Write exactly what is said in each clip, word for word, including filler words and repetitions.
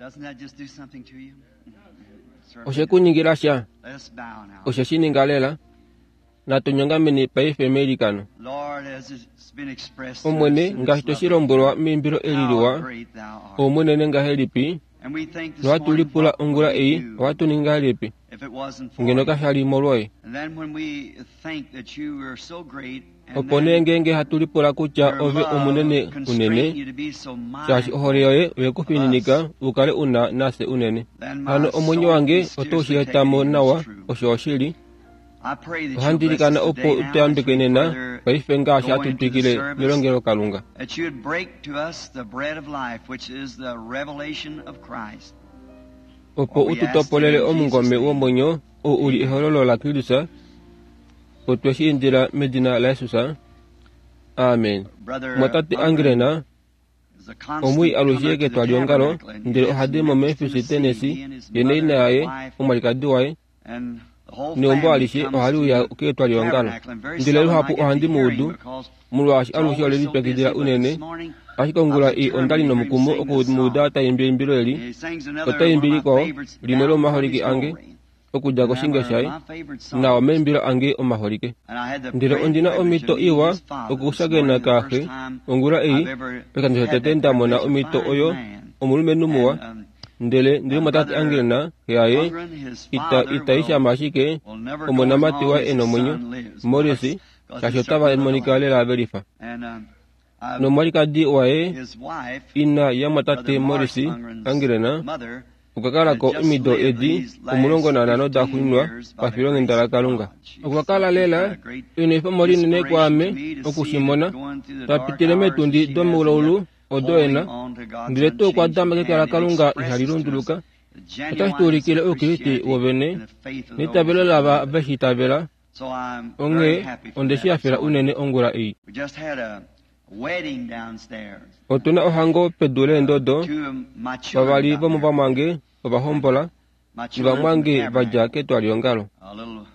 Doesn't that just do something to you? Certainly Oshe ku ningila sha? Let us bow now. Oshe shi ninga lela? Natu nyongameni paife meilikano. Lord, as it's been expressed to us Omwene, in this ngaashi toshi lovely lombwelwa meimbilo eli how liwa, great thou art. oumunene ngahelipi, And we think this nohatu morning, lipula what ongula would we ei, do ohatu ningi ngahelipi, if it wasn't for ngeno you? kasha li molwoye. And then when we think that you are so great, and Opo nee then ngeenge hatu lipula kutya your ove omunene love constrained unene, you to be so shaashi mindful, ohole yoye oye ku fininika u kale u na nafye unene. then my Hano omwenyo soul wange is oto shi scarcely eta mo taken in nawa, its truth. osho oshili. I pray that you'll Ohandi bless likana us opo today u now as tuyambeke we nena, further paife ngaashi go hatu into the twikile service, melongelokalunga. that you would break to us the bread of life, which is the revelation of Christ. Opo u tu topolele omungome womwenyo, ou u li ehololo laKristus, otwe shi indila medina laJesus. Amen. Brother Mwatate Ungren Angrena, is a constant omui alushe comer to the ketwaliongalo, tabernacle and ndele lives ohadi in mo Memphis, Memphis, Tennessee. He Tennessee, and his ye mother naina and yaye, wife omwalikadi waye, and the whole neumbo family alishe comes ohali to uya the ketwaliongalo. tabernacle, and very Ndele seldom I luhapu get to ohandi hear mu him udu, because molwaashi it's alushe always ole so busy. lipyakidila But this unene, morning ashike I ongula was ei onda li determined to hear him nomukumo sing this oku mu uda song. ta imbi eimbilo eli, And he sings another ota one of imbi my likwao, favorites, limwe Down from lomaholike His ange, Glory. okudja And koshinge them are shaye, my favorite nawa songs. meimbilo ange omaholike. And I had the Ndele great ondina privilege omhito of meeting iwa his father this okushakena morning, the kaaxe first time ongula ei, I've ever pekandjo had tete that nda mona privilege. A omhito fine oyo, man. omulumenhu muwa, And um, ndele ndele uh, mwatate Brother Angrena, xe yaye, Ungren, his ita father, ita will ishama ashike will never go as omonamati long waye as e his nomwenyo, son lives, Morris, because because shaashi he otava certainly look monika alike. lela ve lifa. And um, I've, Nomwalikadi waye, his wife, ina yamwatate Brother Morris Morris Ungren's Angrena, mother, okwa kala had ko just omido lived edi these omulongo last nanhano da fifteen xuuninwa years by the pafilonghenda grace of laKalunga. God. She's Okwa kala been lela a great enwefemo linene inspiration kwaame to me to oku see shi that mona, going through the ta dark pitile hours that meetundi she has and domoulaulu yet odo holding ena, on to God's ndele tuu okwa unchanging dama keke hand, it laKalunga ihali expresses to us lunduluka, the otashi tu genuineness ulikile of oukriste Christianity wovene and the faith of those neitavelo that lava believe it. ve shi itavela. So I'm very Onghee happy for onde that shi this hafela morning. unene ongula ei. We just had a wedding downstairs. Otuna ohango pedu Uh, leendodo, two of my children vavali got married. vomuvamwange ovahombola, My children from the novamwange vadja tabernacle. ketwaliongalo. A little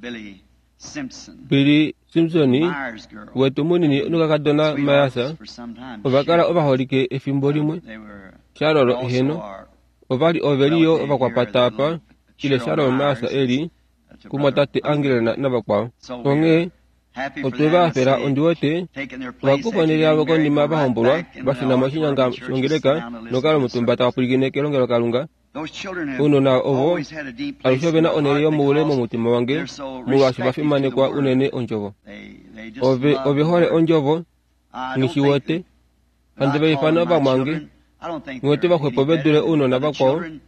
Billy Simpson, Billy Simpson Myers girl, wetu munini nokakadona sweethearts Mayasa for some time. ova kala Cheryl. ovaholike efimbo Uh, limwe, they were Sharol also eheno, our ovali oveliyo relative here, the ovakwapata apa, little ile Cheryl Sharol Mayasa Myers eli is uh, to Brother kumwatate Ungren. Angrena navakwao. So we're Onghee happy for otwe them va to hafela see ondi wete taking their place ovakufa after onhele getting yavo married, konima go right vahombolwa back in the vashuna moshinyanga auditorium church and sit shongeleka down and listen nokala to the omutumba service. tava pwilikine kelongelokalunga. Those children have Ounona ovo always had a deep alushe place in ove na my onhele heart yomoule because momutima wange they're so molwaashi va respective to the fimanekwa Word. unene ondjovo. They they just Ove love ove the hole Word. ondjovo I don't nghi shi think wete that handi I va call ifana them my ovamwange children. I don't think nghi they're vaxwepo any ve better dule than ounona other vakwao children,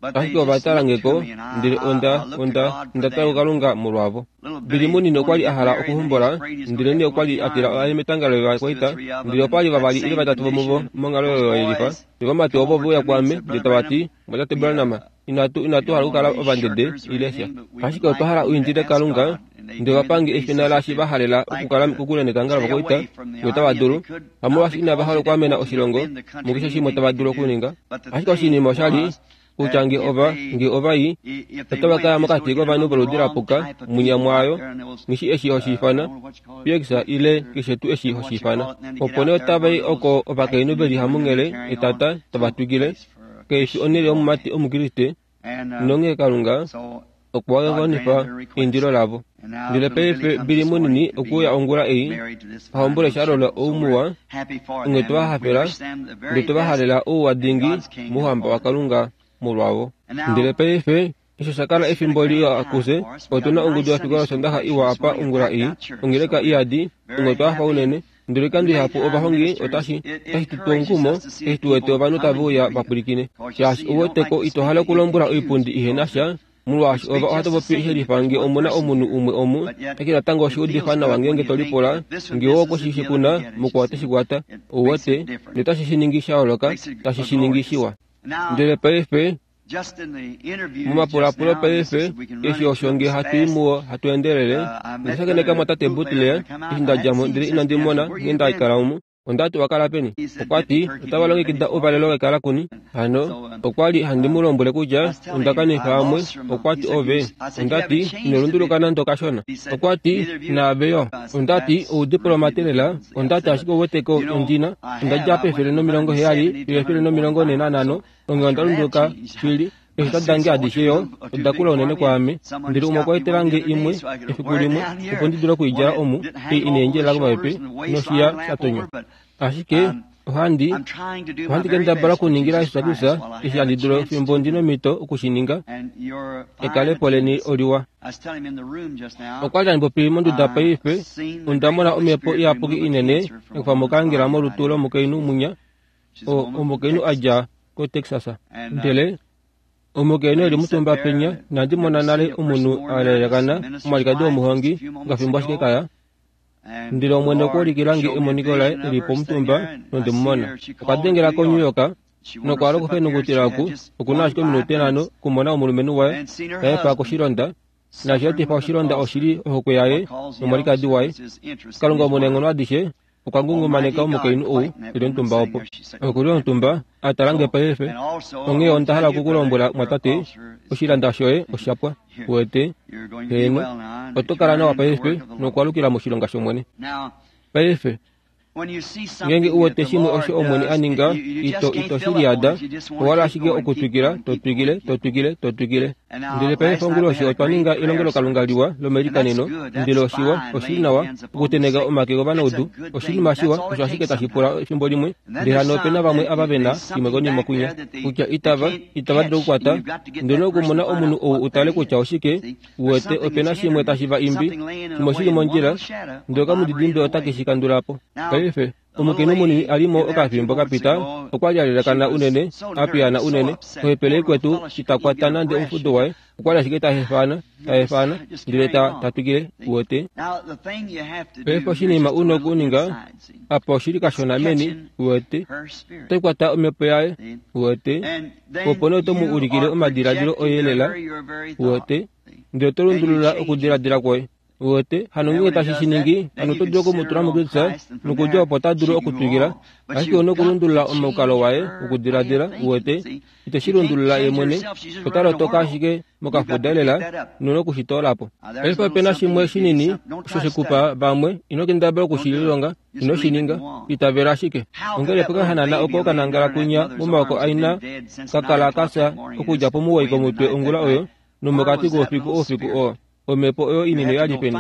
but they ashike ova just tala look nge to ko me, and I, ndele I, onda I look to onda God for onda tala them. kuKalunga molwavo. Little Billy Billy munini okwa wanted li to a get hala married, and then he's okuhombola afraid he's going to ndele have nee to go okwa to li the a tila army. aye metanga There's two or lovakwaita three of them ndele in opa li that vavali ile same vatatu vomuvo condition. monghalo Those oyo yelifa. boys Novamati come ovo over ve uya to me and kwaame said, ndele Brother tava Branham, ti, Mwatate we, Branham, uh, inatu we inatu don't hala want okukala to be ovandede shirkers or ile sha anything, but we would ashike otwa like hala for u you to indile ask Kalunga God. And they ndele gave me the vapange basis efina that laashi they'd va halela like okukala to kokule netanga stay lovakwaita away from the ngee otava army if dulu they could, not hamolwaashi inava because hala they didn't okwaamena want to oshilongo defend the country mukeshe shimwe anything tava they dulu could do. okuninga But the ashike thing oshinima osha li was kutya that nge if ova they nge ova i if they otava went, kaya it's going mokati to get kovanhu among the voludi wrong lapuka type of munya people out mwaayo there, and those ngishi eshi uh, hoshi I ifana don't know what you call it, piekisa ile or keshe tuu eshi what hoshi you ifana call it, and then to get opo nee out there otava among i oko those type ovakainhu of veli men and hamunghele carrying on. etata It's tava no twikile place for a keifi Christian onhele boy. yomumati omukriste And uh, nonghee Kalunga so okwa God wanifa granted their request. eindilo lavo. And now Ndele little Billy paife comes Billy this morning munini to okuuya be ongula ei married to this fine ahombole little Sharol Cheryl. So we're oumuwa happy for onghee them. tova We hafela wish them the ndele very tova best halela ouwa in dingi God's kingdom mouhamba for them. waKalunga molwavo. And Ndele now paife osho sha kala it's been a efimbo grand liwa time akuse for us. We got otuna a ongudu nice ya Sunday fikola school yosondaxa session iwa this apa morning, a ongula packed ei out church. ongeleka So we're iyadi very onghee otwa hafa happy. unene ndele And oikando many ihapu time ovahongi ministers, otashi it otashi tu tu encourages omukumo us to see the eshi tu wete people ovanhu tave coming uya to you. vapwilikine Because you shaashi see, you don't like uweteko to ito speak hala to okulombwela empty pews oipundi ihena because sha molwaashi you ova speak ohatu just the popi same if shelifa there's nge one omuna person omunhu here. umwe omu But yet, ashike natango it oshi udifa feels nawa good when ngeenge you to think lipula that this one ngee misses okwe it, the shi other kuna will get it. You mukwao see, oteshi kwata it makes ouwete it different. notashi shi ningi sha yooloka Makes it tashi a shi ningi glorious. shiwa. Now, Ndele paife just in the interviews just momapulapulo now, this paife is, we can run eshi into osho it nge hatu i fast. muwo hatu endelele Uh, I met ondashakeneka Brother mwatate Bootley Butler when I come out. eshi I nda hadn't dja mo seen ndele him since inandi he mona asked me, where nghee you nda been? ikala omu. Onda ti owa kala peni? Okwa ti otava longekida ouvalelo wekalakuni. Hano okwa li handi mu lombwele kutya onda kanifa amwe. Okwa ti ove. Onda ti ino lunduluka nande okashona. Okwa ti naave yo. Onda ti oudiplomate lela. Onda ti ashike ouweteko ondina. Onda dja pefele nomilongo heyali fiyo efele nomilongo nhee nanhano. Onghee onda lunduluka shili. Eeshita dange adishe yo oda kula unene kwaame. Ndele umwe okwa etelange imwe efiku limwe opo ndi dule okuidjala omu ei ina endjelela komapepe noshiya sha tonywa. Ashike ohandi ohandi kendabala okuningila Jesus Kristus eshi handi dulu fimbo ndi nomhito okushininga. Ekalepo leni oliwa. Okwa li handi popi monduda paife. Onda mona omhepo iyapuki inene yakufa mokaangela molutu lomukainhu munya, omukainhu a dja koTexas. Ndele omukainhu eli mutumba penya, inandi mona nale omunhu a lelekana omwalikadi womuhongi ngafimbo ashike kaya. Ndele Omwene okwa ulikila nge emoniko laye eli pomutumba nonde mu mona. Okwa dengela koNew York nokwa hala okufenungutila oku okuna ashike ominute nhano okumona omulumenhu waye taefa koshilonda. Naashi etifa oshilonda oshili ohokwe yaye nomwalikadi waye. Kalunga omunaenghono adishe okwa ngungumaneka omukainhu ou eli omutumba opo. Okuli omutumba a tala nge paife. Onghee onda hala okukulombwela mwatate, oshilanda shoye osha pwa. Uwete? Heeno, oto kala nawa paife nokwaalukila moshilonga shOmwene. Paife ngeenge uwete shimwe osho Omwene a ninga, ito ito shi liyada, owa ashike okutwikila, to twikile, to twikile, to twikile. Ndele paife onguloshi otwa ninga elongelokalunga liwa lomelikaneno, ndele oshiwa, oshili nawa okuteneka omake govanaudu, oshinima shiwa, osho ashike tashi pula efimbo limwe. Ndele hano opena vamwe ava vena shimwe konima kunya, kutya itava, itava dulu okukwata, ndele okumona omunhu ou utale kutya oshike, uwete opena shimwe tashi va imbi, shimwe shili mondjila, ndele okamudidimbe otake shi kandula po. Paife omukainhu munini a li mo okafimbo kapita okwa li a lelekana unene, a piyana unene, ohepele ikwetu ita kwata nande omufudo waye, okwa li ashike ta hefana, ta hefana, ndele ta ta twikile, uwete. Paife oshinima una okuninga apa oshili kashona meni, uwete, oto kwata omhepo yaye, uwete, opo nee oto mu ulikile omadiladilo oye lela, uwete, ndele oto lundulula okudiladila kwoye. Uwete, hano ngeenge tashi shi ningi, hano oto dulu okumutula muKristus, nokudja opo ota dulu okutwikila, ashike ouna okulundulula omukalo waye wokudiladila, uwete, ite shi lundulula ye mwene, ota lotoka ashike mokafuda lela, nouna okushitoola po. Paife opena shimwe shinini osho shekupa vamwe, ino kendabala okushililonga, ino shi ninga, itavela ashike. Ongele pokahanana oko kanangala kunya momaoko aina kakala kafya okudja pomuwoi komutwe ongula oyo, nomokati koufiku oufiku oo. Omhepo oyo inene ya li peni?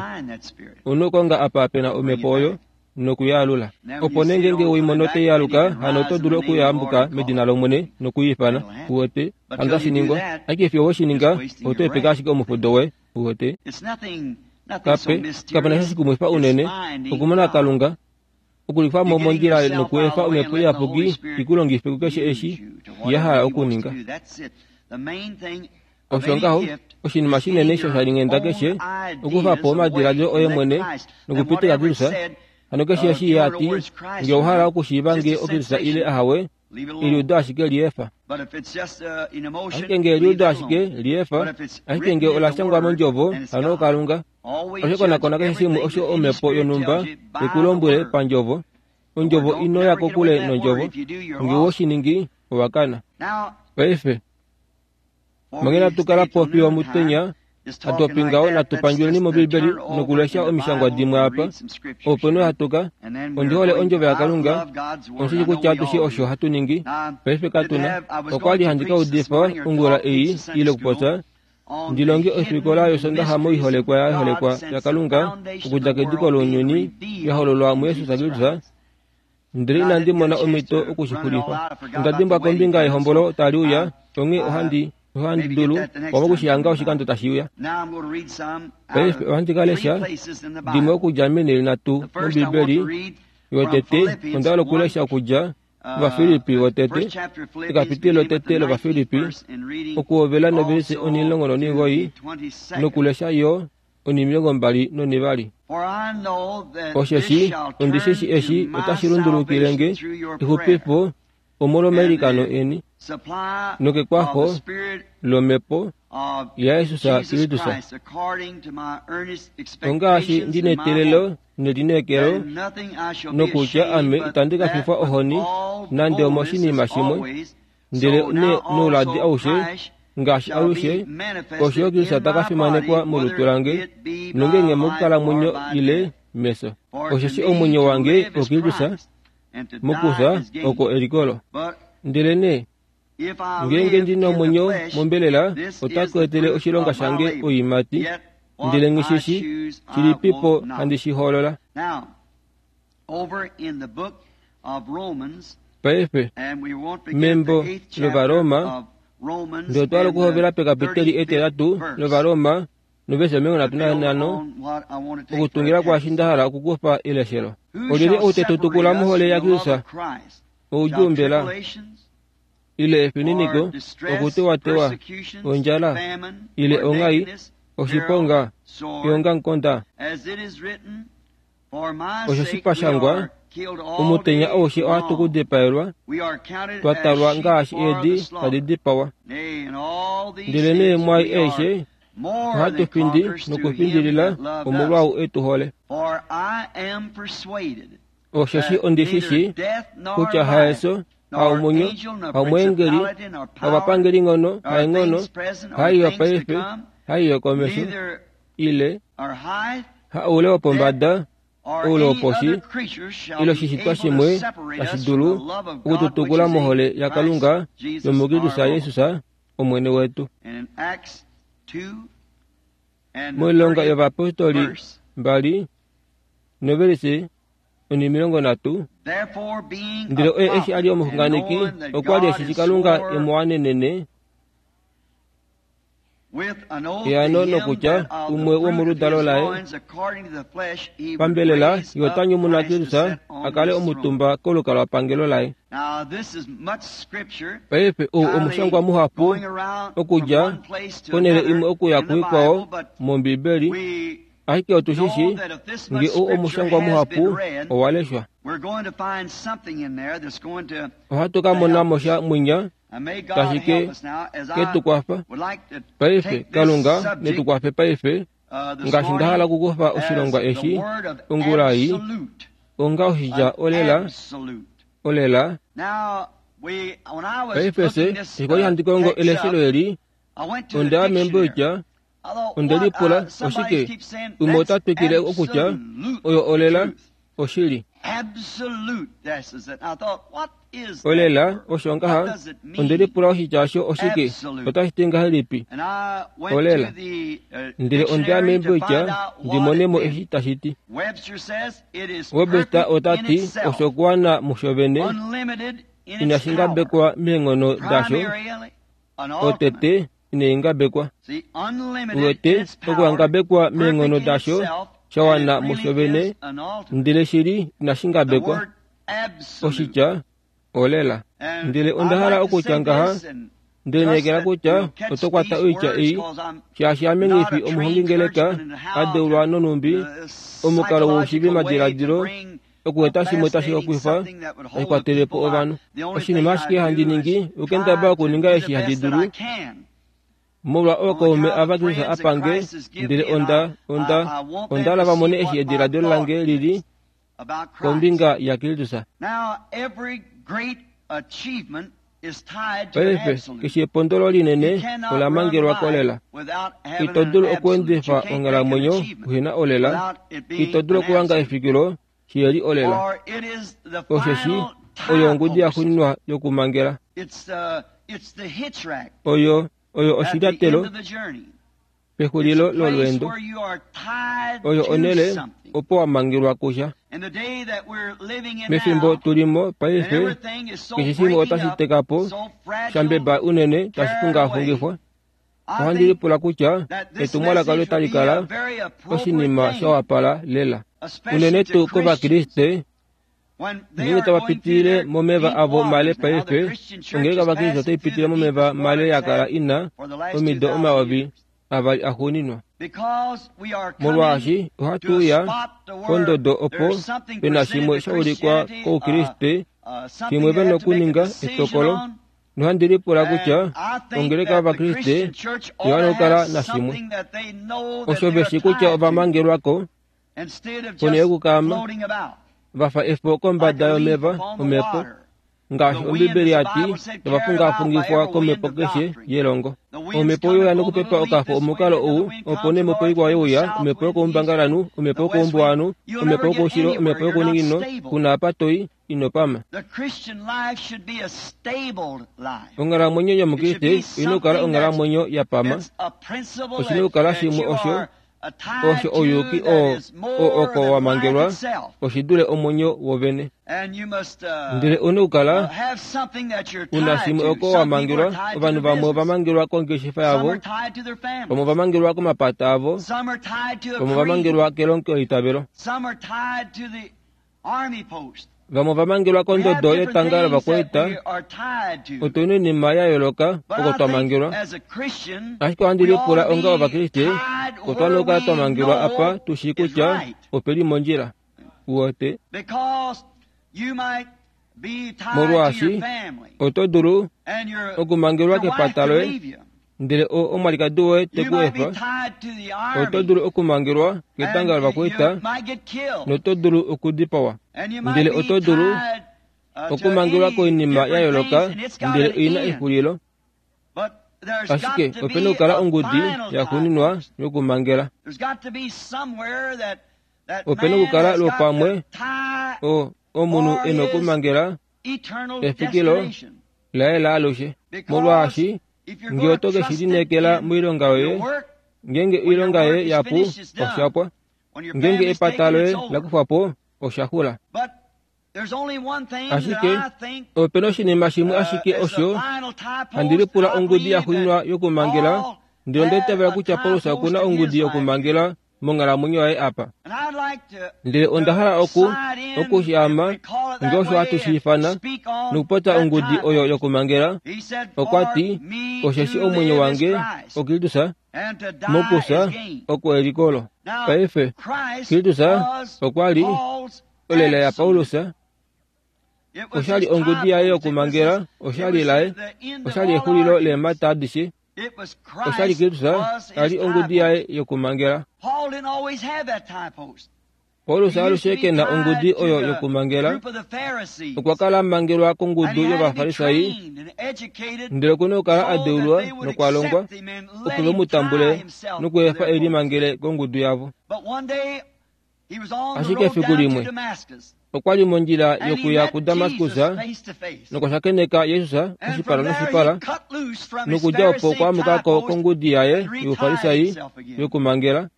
Ouna okukonga apa pena omhepo oyo nokuyaalula. Opo nee ngeenge weimono taialuka, hano oto dulu okuyambuka medina lOmwene nokuiifana, uwete, hano otashi ningwa. Ashike fiyo we shi ninga, oto epeka ashike omufudo woye, uwete. Kape, kapena sha shikumwifa unene okumona Kalunga, okulifa mo mondjila nokuefa omhepo iyapuki ikulongife kukeshe eshi ya hala okuninga. Osho ngaho, oshinima shinene shoshalinghenda keshe, okufa po omadiladilo oye mwene nokupitika Kristus. Hano keshe eshi ye ati, ngee owa hala okushiiva ngee oKristus ile ahawe, eliudo ashike liefa. Ashike ngee eliudo ashike liefa, ashike ngee ola shangwa mondjovo, hano oKalunga. Osho konakona keshe shimwe osho omhepo yonhumba ikulombwele pandjovo. Ondjovo ino ya kokule nondjovo. Ngee owe shi ningi, owa kana. Paife manga inatu kala po fiyo omutenya, hatu popi ngaho natu pandjuleni mOmbibeli nokulesha omishangwa dimwe apa, opo nee hatu ka. Ondi hole ondjovo yaKalunga, ondishi kutya atushe osho hatu ningi. Paife katuna. Okwa li handi ka udifa ongula ei ile okupopya, ndi longe ofikola yOsondaxa moiholekwa ya holekwa yaKalunga okudja kediko lounyuni ya hololwa muJesus Kristus, ndele inandi mona omhito okushixulifa. Onda dimbwa kombinga yehombolo tali uya, onghee ohandi ohandi dulu pamwe okushihanga oshikando tashi uya. Paife ohandi ka lesha dimwe okudja meenhele nhatu mOmbibeli. Yotete onda hala okulesha okudja mOvafilippi votete, ekapitilo lotete lOvafilippi, okuhovela novelise onhimulongo nonhimugoi nokulesha yo onhimilongo mbali nonhivali. Osheshi ondi shi shi eshi otashi lundulukile nge exupifo omolwomailikano eni Nokekwafo lomhepo yaJesus Kristus, ongaashi ndina eteelelo nelineekelo nokutya ame itandi ka fifwa ohoni nande omoshinima shimwe, ndele nouladi aushe ngaashi alushe osho Kristus ta ka fimanekwa molutu lange nongenge mokukalamwenyo ile mefyo. Osheshi omwenyo wange oKristus, mokufya oko elikolo. Ndele nee ngeenge ndina omwenyo mombelela otaku etele oshilonga shange oiimati, ndele nghishishi shilipipo handi shi hoolola. Paife membo lOvaroma ndele otwa okuhovela pekapiteli etelatu lOvaroma novesi omilongo nhatu nanhano okutungila kwaashi nda hala okukufa eleshelo. Olyelye ou te tu tukula mohole yaKristus? Oudjuu mbela, ile efininiko, okutewatewa, ondjala, ile onghai, oshiponga, eongamukonda? Osho pashangwa, omutenya aushe ohatu kudipaelwa, twa talwa ngaashi eedi tadi dipawa. Ndele nee mwai aishe ohatu findi nokufindilila omolwaou e tu hole. Osheshi ondishishi kutya haefyo, haomwenyo, haomweengeli, havapangeli-nghono, haenghono, haiyo paife, haiyo komesho, ile haoule wopombada, oule woposhi, ile oshishitwa shimwe tashi dulu okututukula mohole yaKalunga yomuKristus Jesus Omwene wetu. Moilonga yovayapostoli mbali novelisi onimilongo nhatu, ndele oye eshi a li omuxunganeki okwa li eshi Kalunga e mu wanenene eano nokutya umwe womoludalo laye pambelela ye ota nyumuna Kristus a kale omutumba kolukalwapangelo laye. Paife ou omushangwa muhapu okudja konhele imwe okuya kuikwao mOmbibeli, ashike otu shi shii nge ou omushangwa muhapu owa leshwa. Ohatu ka mona mo sha mwinya tashi ke ke tu kwafa paife. Kalunga ne tu kwafe paife ngaashi nda hala okukufa oshilongwa eshi ongula ei onga oshitya olela olela. Paife se eshi kwali handi kongo eleshelo eli, onda ya membo itya onde lipula oshike umwe ota twikile okutya oyo olela oshili. Olela osho ngaha onde lipula oshitya osho oshike otashi ti ngahelipi olela, ndele onda ya membo itya ndi mone mo eshi tashi ti. Webster ota ti osho kuwana musho vene inashi ngabekwa meenghono dasho, otete inai ngabekwa. Uwete okuhangabekwa meenghono dasho sha wana musho vene, ndele shili inashi ngabekwa. Oshitya olela. Ndele onda hala okutya ngaha, ndelineekela kutya oto kwata oitya ei, shaashi ame nghifi omuhongingeleka a deulwa nonhumbi omukalo woushivi madiladilo okueta shimwe tashi hokwifa tashi kwatele po ovanhu. Oshinima ashike handi ningi okendaba okuninga eshi handi dulu molwa ookaume ava Kristus a pange, ndele onda onda onda hala va mone eshi ediladilo lange lili kombinga yaKristus. Paife keshe epondolo linene ola mangelwa kolela. Ito dulu okuendifa onghalamwenyo uhena olela, ito dulu okuhanga efikilo shiheli olela. Osheshi oyo ongudi yaxuuninwa yokumangela. Oyo oyo oshilyatelo pexulilo lolweendo. Oyo onhele opo wa mangelwa kusha. Mefimbo tulimo paife keshe shimwe otashi teka po shambeba unene tashi fungafungifwa. Ohandi lipula kutya etumwalaka olo tali kala oshinima sha wapala lela unene tuu kOvakriste ngeenge tava pitilile momeva avo male paife. Ongeleka vaKristus otai pitile momeva male ya kala ina omido omayovi avali axuuninwa, molwaashi ohatu uya pondodo opo pena shimwe sha ulikwa kOukriste shimwe vena okuninga etokolo Nohandi lipula kutya And I think ongeleka that the yOvakriste Christian church ought oya to okukala have nashimwe something that they know that osho they're veshi kutya tied to ovamangelwako instead of ponhele just yokukaama floating about vafa efo like kombada a leaf yomeva upon the omhepo water. ngaashi The wind, Ombibeli as the yati Bible said, carried about by ovafungafungifwa every wind komhepo of keshe doctrine. yelongo. The winds Omhepo come yoya and blow the nokupepa little leaf okafo this way, omukalo and another ou wind opo comes nee omhepo north ikwao wind, yeuya south omhepo wind, east wind, yokoumbangalanhu omhepo the west wind. yokoumbuwanhu You'll omhepo never get yokoushilo anywhere. omhepo You're not yokouningino stable. kuna apa toi inopama. The Christian life should be a stable life. Onghalamwenyo It should yomukriste be oina okukala something that's onghalamwenyo ya pama that's a principle oshina that, okukala that shimwe you osho are uh, tied osho to ouyuki that oo is oo more oko than life wamangelwa itself. oshidule omwenyo wovene. And you must uh, Ndele una uh, okukala have something that you're una tied shimwe to. oko Some people are wamangelwa tied to ovanhu their vamwe business. ovamangelwa kongeshefa Some yavo are tied to their vamwe families. ovamangelwa komapata avo Some are tied to a vamwe creed. ovamangelwa kelongeitavelo Some are tied to the army post. vamwe ovamangelwa We have kondodo different yetanga things that lovakwaita we are tied to. otuna oinima ya yooloka But oko I think twamangelwa as a Christian, ashike ohandi we ought lipula to onga be ovakriste tied otwana where okukala we twamangelwa apa know tushii is kutya right. opeli mondjila uwote Because you might be tied to your molwaashi family oto dulu and your, okumangelwa your wife kepata could loye leave you. ndele o- omwalikadi woye You te ku might be efa tied to the oto army dulu okumangelwa and ketanga you lovakwaita might get killed. noto dulu okudipawa And you might ndele be oto dulu tied uh, to okumangelwa any koinima ya different yooloka things, and it's got ndele an oina end. exulilo But there's ashike got to opena be okukala a ongudi final ya tie xuuninwa post. yokumangela There's got to be somewhere that that opena man okukala has got lwopamwe to tie o omunhu for ena his okumangela eternal efikilo destination. laye laalushe Because molwaashi if you're ngee going oto to ke trust shi it lineekela in moilonga your yoye work, ngeenge when your oilonga work yoye is yapu finished, it's done. oshapwa When your ngeenge family's epata taken, loye it's over. lakufwapo oshaxula But there's only one thing that ashike I think opena oshinima shimwe uh, ashike is a osho final tie handi post. lipula I ongudi ya believe that xuuninwa yokumangela Paul ndele had ondaitavela a kutya tie Paulus post okuna in his ongudi life here. yokumangela monghalamwenyo yaye apa And I'd like to ndele onda to hala oku slide in, if okushaama we call it ngee that osho hatu way, shi and ifana speak on nokupopya that ongudi tie oyo post. yokumangela He said, okwa For ti me osheshi to omwenyo live is wange Christ, oKristus and to die mokusa is gain. oko elikolo Now, paife Christ Kristus was okwa li Paul's olela ya absolute. Paulus It was oshali his ongudi tie yaye post. It was yokumangela his, it oshali was laye the end of oshali all exulilo arguments. leemhata adishe It was oshali Christ Kristus was his ali tie ongudi post. yaye yokumangela Paul didn't always have that tie post. Paulus He used to alushe be ke na ongudi tied to oyo the yokumangela group of the Pharisees. okwa kala a mangelwa And kongudu he had to be yOvafarisai trained and educated ndele okuna okukala so a that deulwa they would nokwa longwa accept him and opo let ve him mu tie tambule himself to nokuefa their post. elimangele kongudu yavo But one day he was on the ashike road efiku down to limwe Damascus okwa li mondjila and he yokuya met kuDamaskus Jesus face to face. nokwashakeneka Jesus And oshipala from there he noshipala cut loose from his nokudja opo Pharisee okwa tie amukako post kongudi yaye and retied youfarisai himself again. yokumangela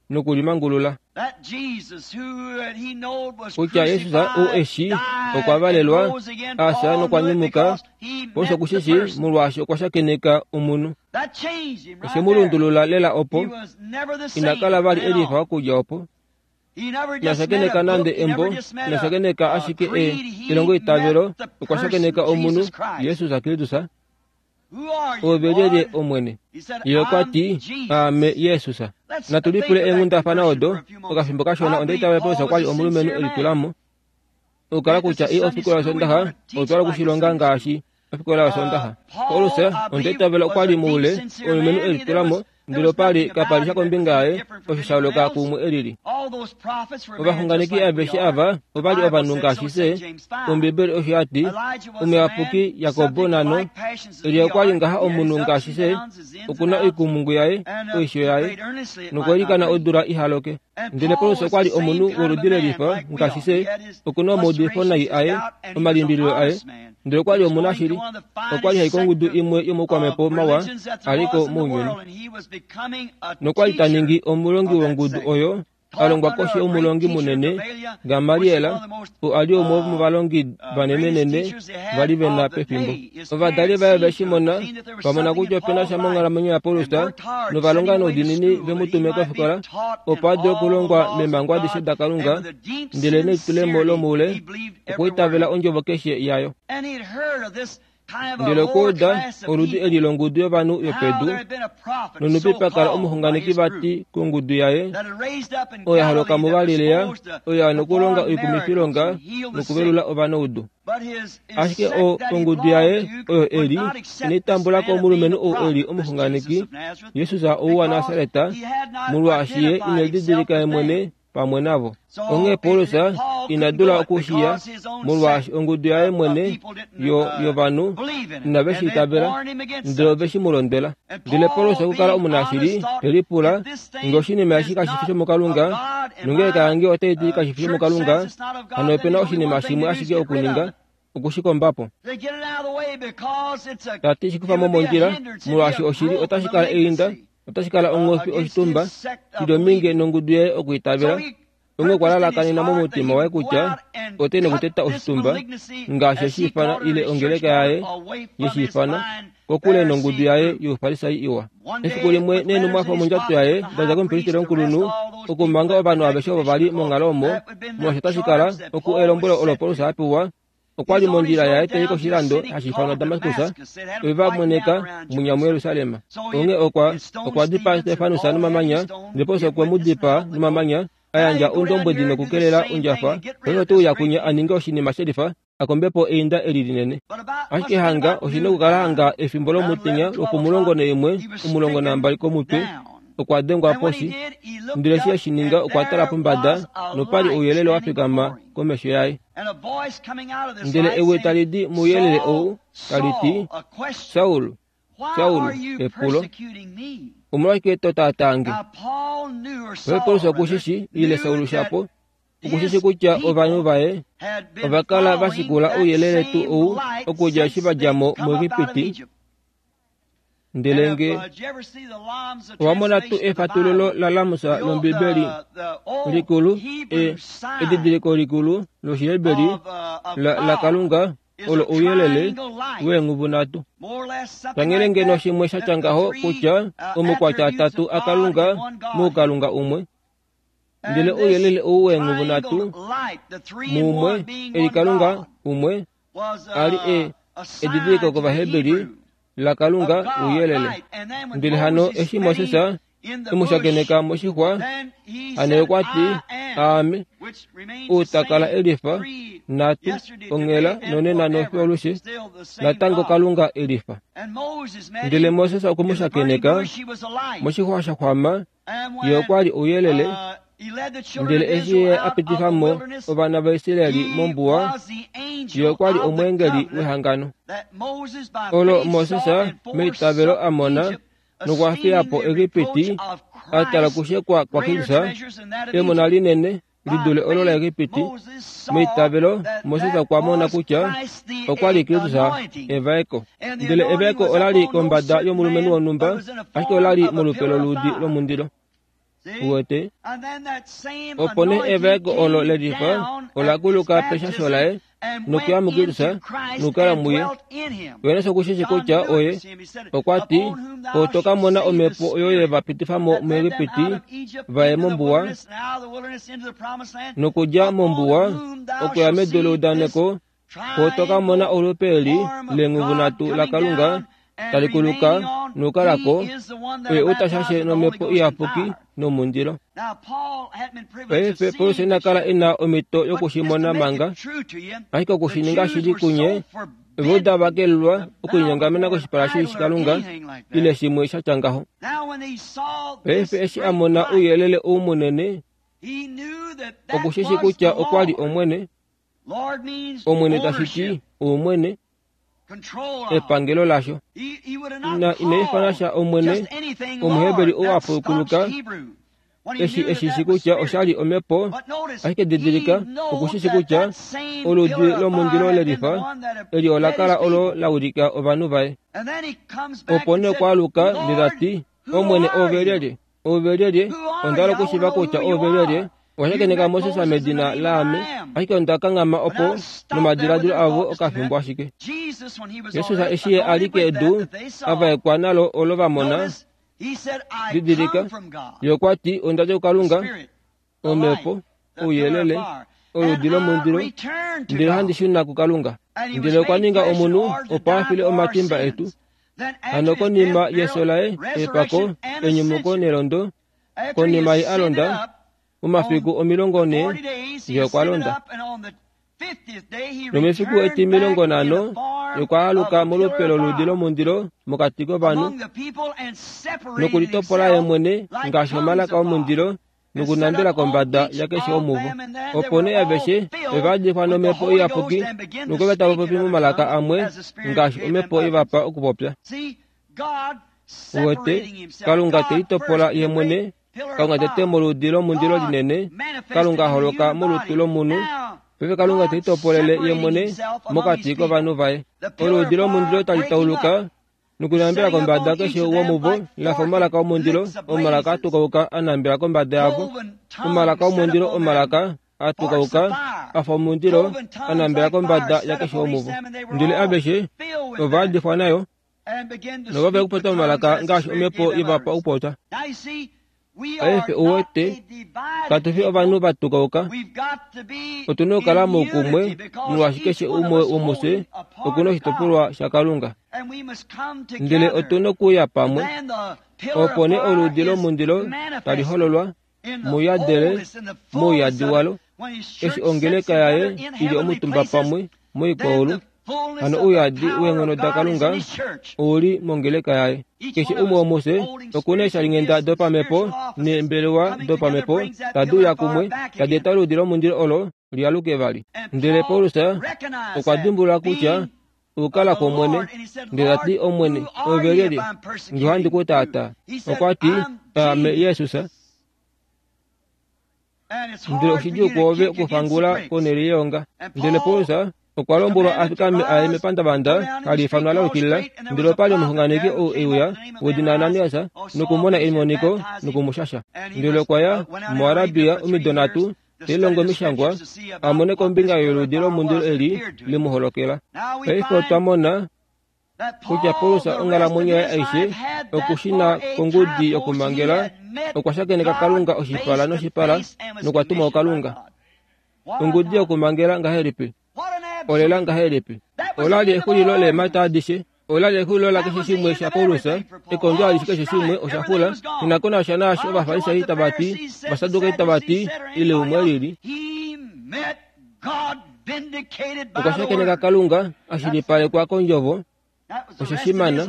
nokulimangulula That Jesus who that he knowed was kutya Jesus ou crucified, eshi died, okwa and valelwa rose again, asa Paul knew it nokwanyumuka because he Paulus met the okushishi person. molwaashi okwa shakeneka omunhu That changed him oshe right mu there. lundulula lela He opo was never the ina same kala from vali then elifa on. okudja opo He never ina just met shakeneka a nande book, he embo never just met ina a, shakeneka a ashike e creed. He elongo met itavelo the okwa person, shakeneka omunhu Jesus Christ. Jesus Kristus Who are you, ove lyelye Lord? Omwene He said, ye okwa I'm ti Jesus. aame Jesus Let's natu think lipule of that eenghundafana conversion odo for a few moments. okafimbo kashona I onda believe itavela Paulus Paul okwa was li a omulumenhu sincere man. elitulamo okukala This kutya is i Sunday ofikola school. We yosondaha want to teach otwala like a okushilonga Sunday school. ngaashi ofikola yosondaha Uh, Paulus Paul, I onda believe, itavela was okwa a li deep, moule sincere omulumenhu man. He, there elitulamo was, there ndele was opa li nothing kapa about li sha him that was kombinga any yaye different from osho sha anyone yooloka else. kuumwe elili All those prophets were men just ovaxunganeki like we aveshe are. ava The ova li Bible ovanhu said so, ngaashi said fye James five. Ombibeli osho ya ti Elijah was a man omuyapuki Jakobo subject to nano like passions as Elia we okwa li are. ngaha He had his omunhu ups ngaashi and fye downs, his ins and okuna outs, oikumungu yaye and uh, oisho he yaye prayed earnestly it might not nokwelikana rain. odula ihaloke And ndele Paul Paulus was okwa the li same omunhu kind of a woludi man lelifa like we ngaashi are. fye He had his okuna omaudifo nai frustrations, his aye doubt, and he was an omalimbililo aye honest man. ndele He okwa li was going to omunashili one of the okwa li finest hai kongudu sect of, imwe yomoukwamhepo of mawa religions that there aliko was in the mounyuni world, and he was becoming a nokwa li ta teacher ningi omulongi of that wongudu sect. oyo a Taught longwa under koshi a great yomulongi teacher, munene Gamaliel, which is one Gamaliela of the most oo a li umwe uh, womovalongi uh, greatest vanenenene teachers they va li had ve na of the pefimbo day. His ovadali parents vaye seen ve shi to it, mona seen that there was va mona something kutya in opena Paul's sha life, monghalamwenyo yaPaulus and worked hard to nova send longa him away to noudiinini school ve mu that he tume might be kofikola taught in opo a dule all the okulongwa laws of meemhango adishe God, da and Kalunga with a deep ndele nelitulemo sincerity lomoule he believed every okwiitavela word. ondjovo keshe yayo And he had heard of this Ndele okuuda oludi eli longudu yovanhu yopedu nonupi pakala omuxunganeki vati kongudu yaye oyo ya holoka muGalilea oyo ya nokulonga oikumifilonga nokuvelula ovanaudu. Ashike ongudu yaye oyo eli inai tambula ko omulumenhu ou eli omuxunganeki Jesus ou waNasareta, molwaashi ye ine lididilika ye mwene pamwe navo. Onghee Paulus ina dula okushiya molwaashi ongudu yaye mwene yovanhu inave shi itavela, ndele ove shi mu londwela. Ndele Paulus okukala omunashili te lipula ngee oshinima eshi kashi fi shomukalunga, nongeleka yange otai ti kashi fi shomukalunga, hano ope na oshinima shimwe ashike okuninga, okushikomba po. Tati shi kufa mo mondjila, molwaashi oshili otashi kala einda, otashi kala onghofi oshitumba shili ominge nongudu yaye okwiitavela. Onghee okwa lalakanena momutima waye kutya ote nokuteta oshitumba ngaashi eshi ifana ile ongeleka yaye yeshiifana kokule nongudu yaye youfarisai iwa. Efiku limwe neenhumwafo mondjato yaye da dja komupristeli omukulunhu okumanga ovanhu aveshe ovo vali monghalo omo, molwaashi otashi kala oku elombwelo olo Paulus a pewa. Okwa li mondjila yaye tai koshilando hashi ifanwa Damaskus, ove va moneka mwinya muJerusalem. Onghee okwa okwa dipaa Stefanus nomamanya, ndele Paulus okwe mu dipaa nomamanya, a yandja oundombwedi nokukelela ondjafa. Paife ote uya kwinya a ninge oshinima shelifa, a kombe po einda eli linene. Ashike hanga oshi na okukala hanga efimbo lomutenya lwopomulongo naimwe omulongo nambali komutwe, okwa dengwa poshi. Ndele eshi eshi ninga okwa tala pombada nopali ouyelele wa fikama komesho yaye. Ndele ewi tali di mouyelele ou tali ti, Saul, Saul, epulo, omolwashike to taataa nge? Paife Paulus okushishi ile Saul shapo, okushishi kutya ovanhu vaye ova kala va shikula ouyelele tuu ou okudja eshi va dja mo muEgipiti. Ndele nge owa mona tuu efatululo laLamusa lOmbibeli likulu, e edidiliko likulu lOshiheberi laKalunga olo ouyelele weenghuvu nhatu. Tanghele ngeno shimwe sha tya ngaho kutya omukwatya atatu aKalunga muukalunga umwe. Ndele ouyelele ou weenghuvu nhatu muumwe eli Kalunga umwe ali e edidiliko kOvaheberi laKalunga ouyelele. Ndele hano eshi Moses emushakeneka moshixwa, hano okwa ti, Aame, ou ta kala elifa, nhatu, onghela nonena nofiyo natango Kalunga elifa. Ndele Moses okwe mu shakeneka moshixwa sha xwama, ye okwa li ouyelele. Ndele eshi ye a pitifa mo ovana vaIsrael mombuwa, ye okwa li omweengeli wehangano olo Moses meitavelo a mona nokwa fiya po Egipiti a tala kushekwa kwaKristus, emona linene lidule olo laEgipiti. Meitavelo Moses okwa mona kutya okwa li Kristus evaeko. Ndele evaeko ola li kombada yomulumenhu wonhumba, ashike ola li molupe loluudi lomundilo. Uwete? Opo nee evaeko olo lelifa ola kuluka peshasho laye nokuya muKristus nokukala muye. Johannes okushishi kutya oye okwa ti, oto ka mona omhepo oyo ye va pitifa mo muEgipiti va ye mombuwa, nokudja mombuwa okuya medu leudaneko, oto ka mona olupe eli leenghuvu nhatu laKalunga tali kuluka nokukalako, oye ou ta shashe nomhepo iyapuki nomundilo. Paife Paulus ina kala e na omhito yokushimona manga, ashike okushininga shili kunye, Ovajuda va kelelwa okulinyongamena koshipala shikalunga ile shimwe sha tya ngaho. Paife eshi a mona ouyelele ou munene, okushishi kutya okwa li Omwene. Omwene tashi ti oumwene, epangelo lasho. Ina ina ifana sha Omwene, Omuheberi ou a pukuluka, eshi eshishi kutya oshali omhepo, ashike didilika, okushishi kutya oludi lomundilo lelifa eli ola kala olo la wilika ovanhu vaye. Opo nee okwa aluka ndele ta ti, Omwene oove lyelye? Oove lyelye? Onda hala okushiiva kutya oove lyelye. Okwa Moses medina laame, ashike onda kanghama opo nomadiladilo avo okafimbo ashike. Jesus eshi ye a li kedu a vaekwa nalo olo va mona, didilika, ye okwa ti, onda dja kuKalunga, omhepo, ouyelele, oludi lomundilo ndele handi shuna kuKalunga. Ndele okwa ninga omunhu opo a file omatimba etu. Hano konima yeso laye epako enyumuko nelondo, konima ye a londa momafiku omilongo ne ye okwa londa. Nomefiku etimilongo nhano okwa aluka molupe loludi lomundilo mokati kovanhu nokulitopola ye mwene ngaashi omalaka omundilo nokunambela kombada yakeshe omuvo. Opo nee aveshe ova yadifwa nomhepo iyapuki nokwe tava popi momalaka amwe ngaashi omhepo ivapa okupopya. Uwete Kalunga te litopola ye mwene, Kalunga tete moludi lomundilo linene, Kalunga holoka molutu lomunhu. Paife Kalunga te litopolele ye mwene mokati kovanhu vaye. Oludi lomundilo tali tauluka nokunambela kombada keshe womuvo lafa omalaka omundilo, omalaka atukauka a nambela kombada yavo. Omalaka omundilo, omalaka atukauka afa omundilo a nambela kombada yakeshe womuvo. Ndele aveshe ova yadifwa nayo novave okupopya momalaka ngaashi omhepo ivapa okupopya. Paife uwete katu fi ovanhu vatukauka, otuna okukala moukumwe molwaashi keshe umwe womufye okuna oshitopolwa shaKalunga. Ndele otuna okuya pamwe, opo nee oludi lomundilo tali hololwa mouyadele mouyadi walo, eshi ongeleka yaye ili omutumba pamwe moikwaulu. Hano ouyadi weenghono daKalunga ouli mongeleka yaye. Keshe umwe womufye okuna eeshalinghenda dopamhepo neembelewa dopamhepo tadi uya kumwe tadi eta oludi lomundilo olo lialuke vali. Ndele Paulus okwa dimbulula kutya okukala kwOmwene, ndele tati, Omwene, ove lyelye? Nge ohandi ku taataa. Okwa ti, Aame Jesus. Ndele oshidjuu kwoove okufangula konhele yeonga. Ndele Paulus okwa lombwelwa a fikame aye mepandavanda hali ifanwa la yukilila, ndele opa li omuxunganeki ou e uya wedina Ananias nokumona emoniko nokumushasha. Ndele okwa ya muArabia omido nhatu te lilongo omishangwa a mone kombinga yoludi lomundilo eli le mu holokela. Paife otwa mona kutya Paulus onghalamwenyo yaye aishe okushina kongudi yokumangela okwa shakeneka Kalunga oshipala noshipala nokwa tumwa kuKalunga. Ongudi yokumangela ngahelipi? Olela ngahelipi? Ola li exulilo leemhata adishe. Ola li exulilo lakeshe shimwe shaPaulus. Ekondjo alishe keshe shimwe osha xula. Shinakonasha naashi Ovafarisai tava ti, Ovasadukai tava ti, ile umwe lili. Okwa shakeneka Kalunga a shilipalekwa kondjovo. Osho shimana.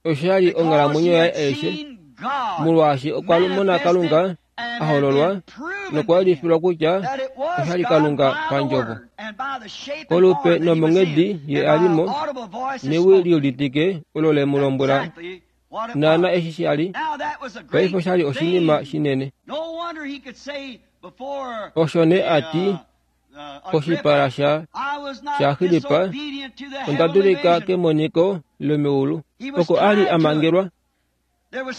Osho li onghalamwenyo yaye aishe, molwaashi okwa mona Kalunga a hololwa nokwa yelifilwa kutya osha li Kalunga pandjovo. Kolupe nomonghedi ye a li mo, newi liuditike olo le mu lombwela naana eshi sha li. Paife osha li oshinima shinene. Osho nee a ti koshipala sha shaAgripa, onda dulika kemoniko lomeulu. Oko a li a mangelwa,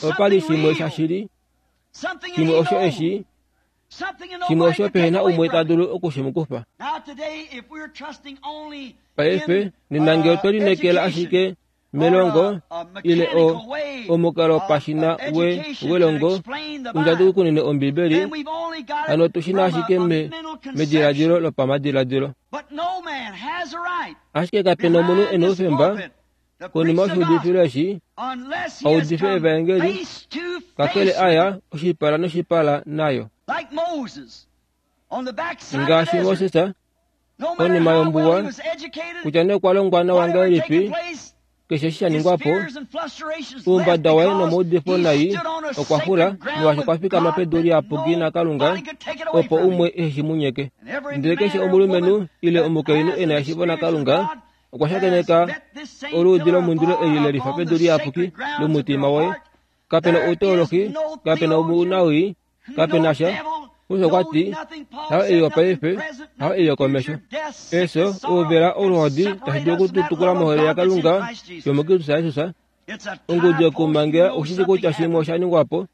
opa li shimwe shashili, shimwe osho eshi, shimwe osho pehena umwe ta dulu oku shi mu kufa. Paife nena ngee otwe lineekela ashike melongo ile o omukalo pashina we welongo undja kunene Ombibeli, hano tushina ashike me mediladilo lopamadiladilo. Ashike kapena omunhu ena oufemba konima yoshiudifilo eshi audife evaengeli kakele aya oshipala noshipala nayo. Ngaashi Moses konima yombuwa, kutya nee okwa longwa nawa ngahelipi, keshe eshi sha ningwa po, oumbada waye nomaudifo nai okwa xula molwaashi okwa fikama pedu liyapuki naKalunga opo umwe ehe mu nyeke. Ndele keshe omulumenhu ile omukainhu ena eshiivo naKalunga okwa shakeneka oluudi lomundilo eli le lifa pedu liyapuki lomutima woye. Kapena outeolohi, kapena ounawii, kapena sha. Paulus okwa ti, hayo ei yopaife, hayo ei yokomesho. Efyo, ouvela, oluhodi tashi dulu okututukula mohole yaKalunga yomuKristus Jesus. Ongudi yokumangela oshishi kutya shimwe osha ningwa po,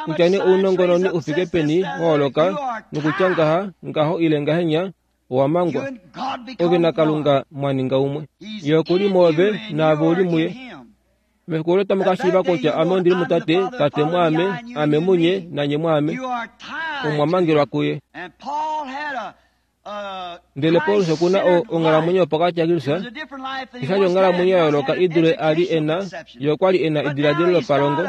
kutya nee ounongononi ufike peni wa holoka nokutya ngaha ngaho ile ngahenya owa mangwa. Ove naKalunga mwa ninga umwe. Ye okuli mwoove naave uli muye. Mefiku olo tamu ka shiiva kutya ame ondili muTate, Tate mwaame, ame munye, nanye mwaame. Omwa mangelwa kuye. Ndele Paulus okuna onghalamwenyo yopokati yaKristus, oshali onghalamwenyo ya yooloka i dule a li e na, ye okwa li e na ediladilo lopalongo,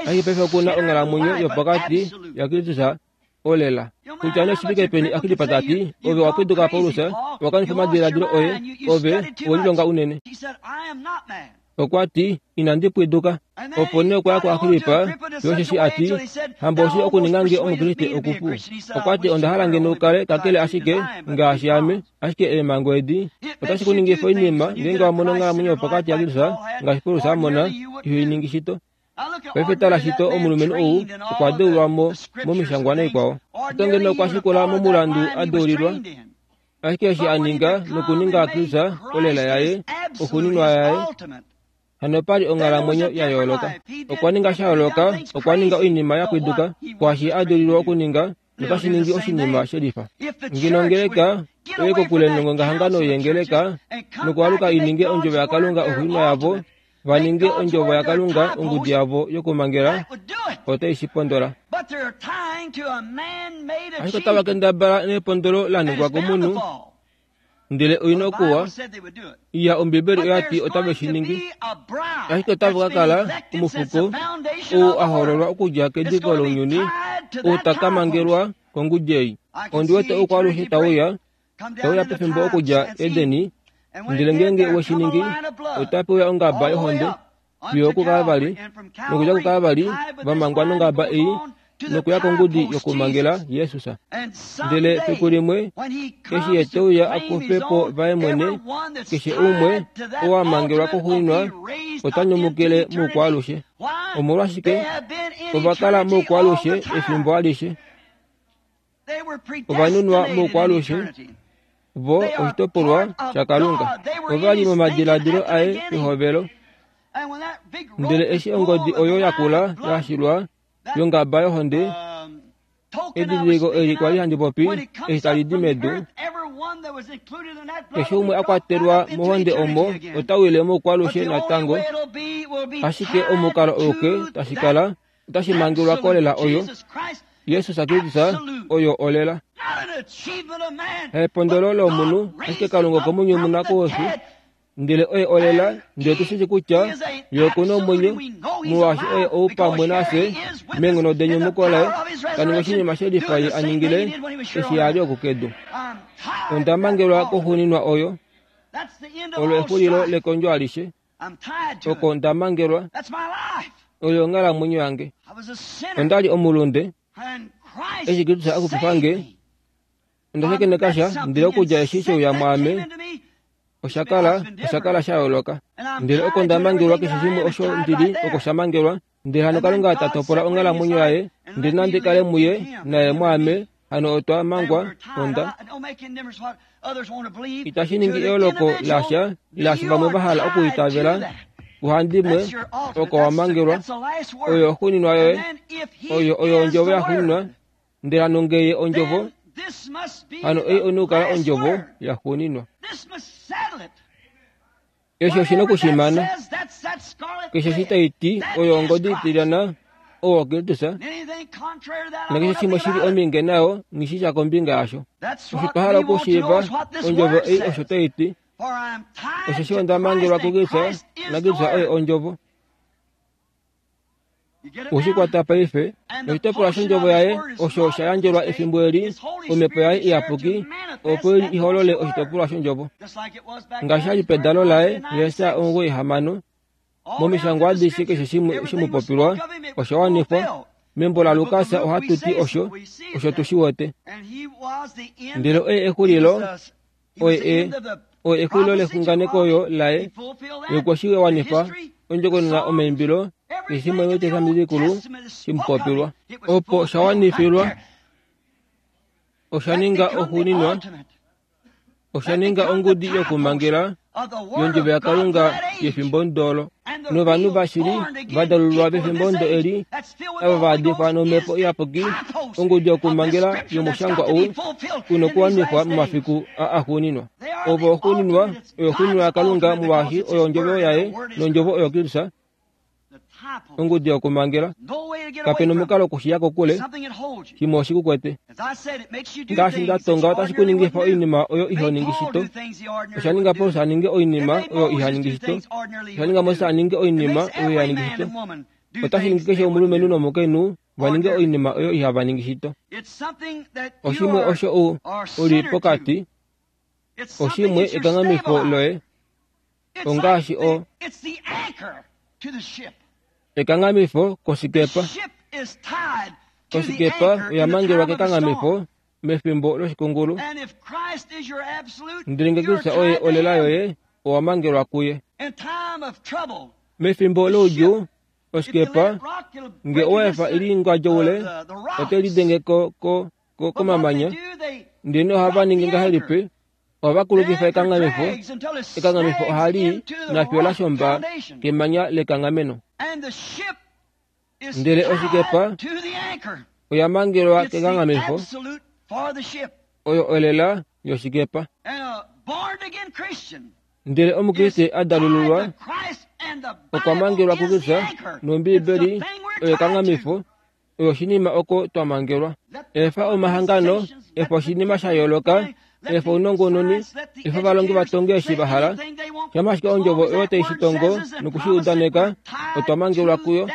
ashike paife okuna onghalamwenyo yopokati yaKristus olela. Kutya nee oshifike peni Agrippa ta ti, ove owa pwiduka Paulus, owa kanifa omadiladilo oye, ove owelilonga unene. Okwa ti, inandi pwiduka. Opo nee okwa ya kuAgrippa, fiyo osheshi a ti, hamba oshi okuninga nge Omukriste okupu. Okwa ti onda hala ngeno u kale kakele ashike ngaashi ame, ashike eemhango edi otashi ku ningifa oinima ngeenge wa mono onghalamwenyo yopokati yaKristus ngaashi Paulus a mona, iho i ningi shito. Paife tala shito omulumenhu ou okwa deulwa mo momishangwa naikwao. Oto ngeno okwa shikula momulandu a deulilwa, ashike eshi a ninga nokuninga Kristus olela yaye, oxuuninwa yaye, hano pali onghalamwenyo ya yooloka. Okwa ninga sha yooloka, okwa ninga oinima ya pwiduka kwaashi a deulilwa okuninga, notashi ningi oshinima shelifa. Ngeno ongeleka oye kokule nongongahangano yeengeleka nokwaaluka i ninge ondjovo yaKalunga oxuuninwa yavo, va ninge ondjovo yaKalunga ongudi yavo yokumangela, otai shi pondola. Ashike otava kendabala nepondolo la ningwa komunhu, ndele oina okuwa. Iya, Ombibeli oya ti otave shi ningi. Ashike otava ka kala omufuko ou a hoololwa okudja kediko lounyuni, ou ta ka mangelwa kongudi ei. Ondi wete oukwaalushe tauya, tauya pefimbo okudja Edeni, ndele ngeenge we shi ningi, otape uya ongaba yohonde fiyo okuKalvari, nokudja kuKalvari va mangwa nongaba ei nokuya kongudi yokumangela Jesus. Ndele fiku limwe eshi ye te uya a kufe po vaye mwene, keshe umwe oo a mangelwa koxuuninwa ota nyumukile moukwaalushe. Omolwashike? Ova kala moukwaalushe efimbo alishe. Ova nunwa moukwaalushe, vo oshitopolwa shaKalunga. Ova li momadiladilo aye pehovelo. Ndele eshi ongodi oyo yakula yashilwa yongaba yohonde, edidiliko eli kwali handi popi eshi tali di medu, keshe umwe a kwatelwa mohonde omo ota wile moukwaalushe natango, ashike omukalo auke tashi kala otashi mangelwa kolela oyo Jesus Kristus oyo olela. Epondolo lomunhu, ashike Kalunga okwe mu nyumuna koufi, ndele oye olela, ndele tu shi kutya ye okuna omwenyo, molwaashi oye ou pamwe nafye meenghono denyumuko laye, ta ningi oshinima shelifa ye a ningile eshi a li okukedu. Onda mangelwa koxuuninwa oyo, olo exulilo lekondjo alishe, oko nda mangelwa, oyo onghalamwenyo yange. Onda li omulunde, eshi Kristus a xupifa nge, onda shakeneka sha, ndele okudja eshi sheuya mwaame, osha kala osha kala sha yooloka. Ndele oko nda mangelwa keshe shimwe osho ndili oko sha mangelwa, ndele hano Kalunga ta topola onghalamwenyo yaye, ndele nandi kale muye naye mwaame, hano otwa mangwa onda. Itashi ningi eyooloko lasha ilaashi vamwe va hala okuitavela, kuhandimwe oko wa mangelwa, oyo oxuuninwa yoye, oyo oyo ondjovo yaxuuninwa, ndele hano ngee ondjovo, hano ei oina okukala ondjovo yaxuuninwa. Eshi oshina okushimana. Keshe eshi tai ti oyo ongodi itilyana owo Kristus, nakeshe shimwe shili ominge nayo nghi sha kombinga yasho. Osho twa hala okushiiva ondjovo ei osho tai ti, osheshi onda mangelwa kuKristus, naKristus oye ondjovo. Oshikwata paife, noshitopolwa shondjovo yaye osho sha yandjelwa efimbo eli, omhepo yaye iyapuki, opo i holole oshitopolwa shondjovo. Ngaashi sha li pedalo laye Jesaja omugoyi hamano, momishangwa adishe keshe shimwe shemupopilwa osha wanifwa. Membo laLukas ohatu ti osho, osho tu shi wete. Ndele oye exulilo, oye e, oye exulilo lexunganeko oyo laye, ye okwe shi wanifa ondjokonona omaimbilo, keshe shimwe mEtestamenti Likulu shemupopilwa. Opo sha wanifilwa, osha ninga oxuuninwa, osha ninga ongudi yokumangela yondjovo yaKalunga yefimbo ndolo. Novanhu vashili va dalululwa pefimbo ndo eli, ava va adifwa nomhepo iyapuki, ongudi yokumangela yomushangwa ou una okuwanifwa momafiku a axuuninwa. Ovo oxuuninwa, oyo oxuuninwa yaKalunga molwaashi oyo ondjovo yaye nondjovo oyo Kristus. Ongudi yokumangela. Kape na omukalo okushiya kokule. Shimwe oshikukwete. Ngaashi nda tonga otashi ku ningifa oinima oyo iho ningi shito. Osha ninga Paulus a ninge oinima oyo iha ningi shito. Osha ninga Moses a ninge oinima oyo iha ningi shito. Otashi ningi keshe omulumenhu nomukainhu va ninge oinima oyo ihava ningi shito. Oshimwe osho u uli pokati. Oshimwe ekanghamifo loye. Ongaashi o ekanghamifo kosikepa. Osikepa oya mangelwa kekanghamifo mefimbo loshikungulu. Ndele ngee Kristus oye olela yoye, owa mangelwa kuye. Mefimbo loudjuu, osikepa nge owa efa ili ngwadjoule, ote lidenge ko ko ko komamanya. Ndele ohava ningi ngahelipi? Ohava kulukifa ekanghamifo. Ekanghamifo ohali nafiyo la shomba kemanya lekanghameno. Ndele osikepa oya mangelwa kekanghamifo, oyo olela yoshikepa. Ndele omukriste a dalululwa okwa mangelwa kuKristus nOmbiibeli oyo ekanghamifo, oyo oshinima oko twa mangelwa. Efa omahangano, efa oshinima sha yooloka, efa ounongononi, efa ovalongi va tonge eshi va hala. Shamha ashike ondjovo oyo tai shi tongo nokushi udaneka, otwa mangelwa kuyo.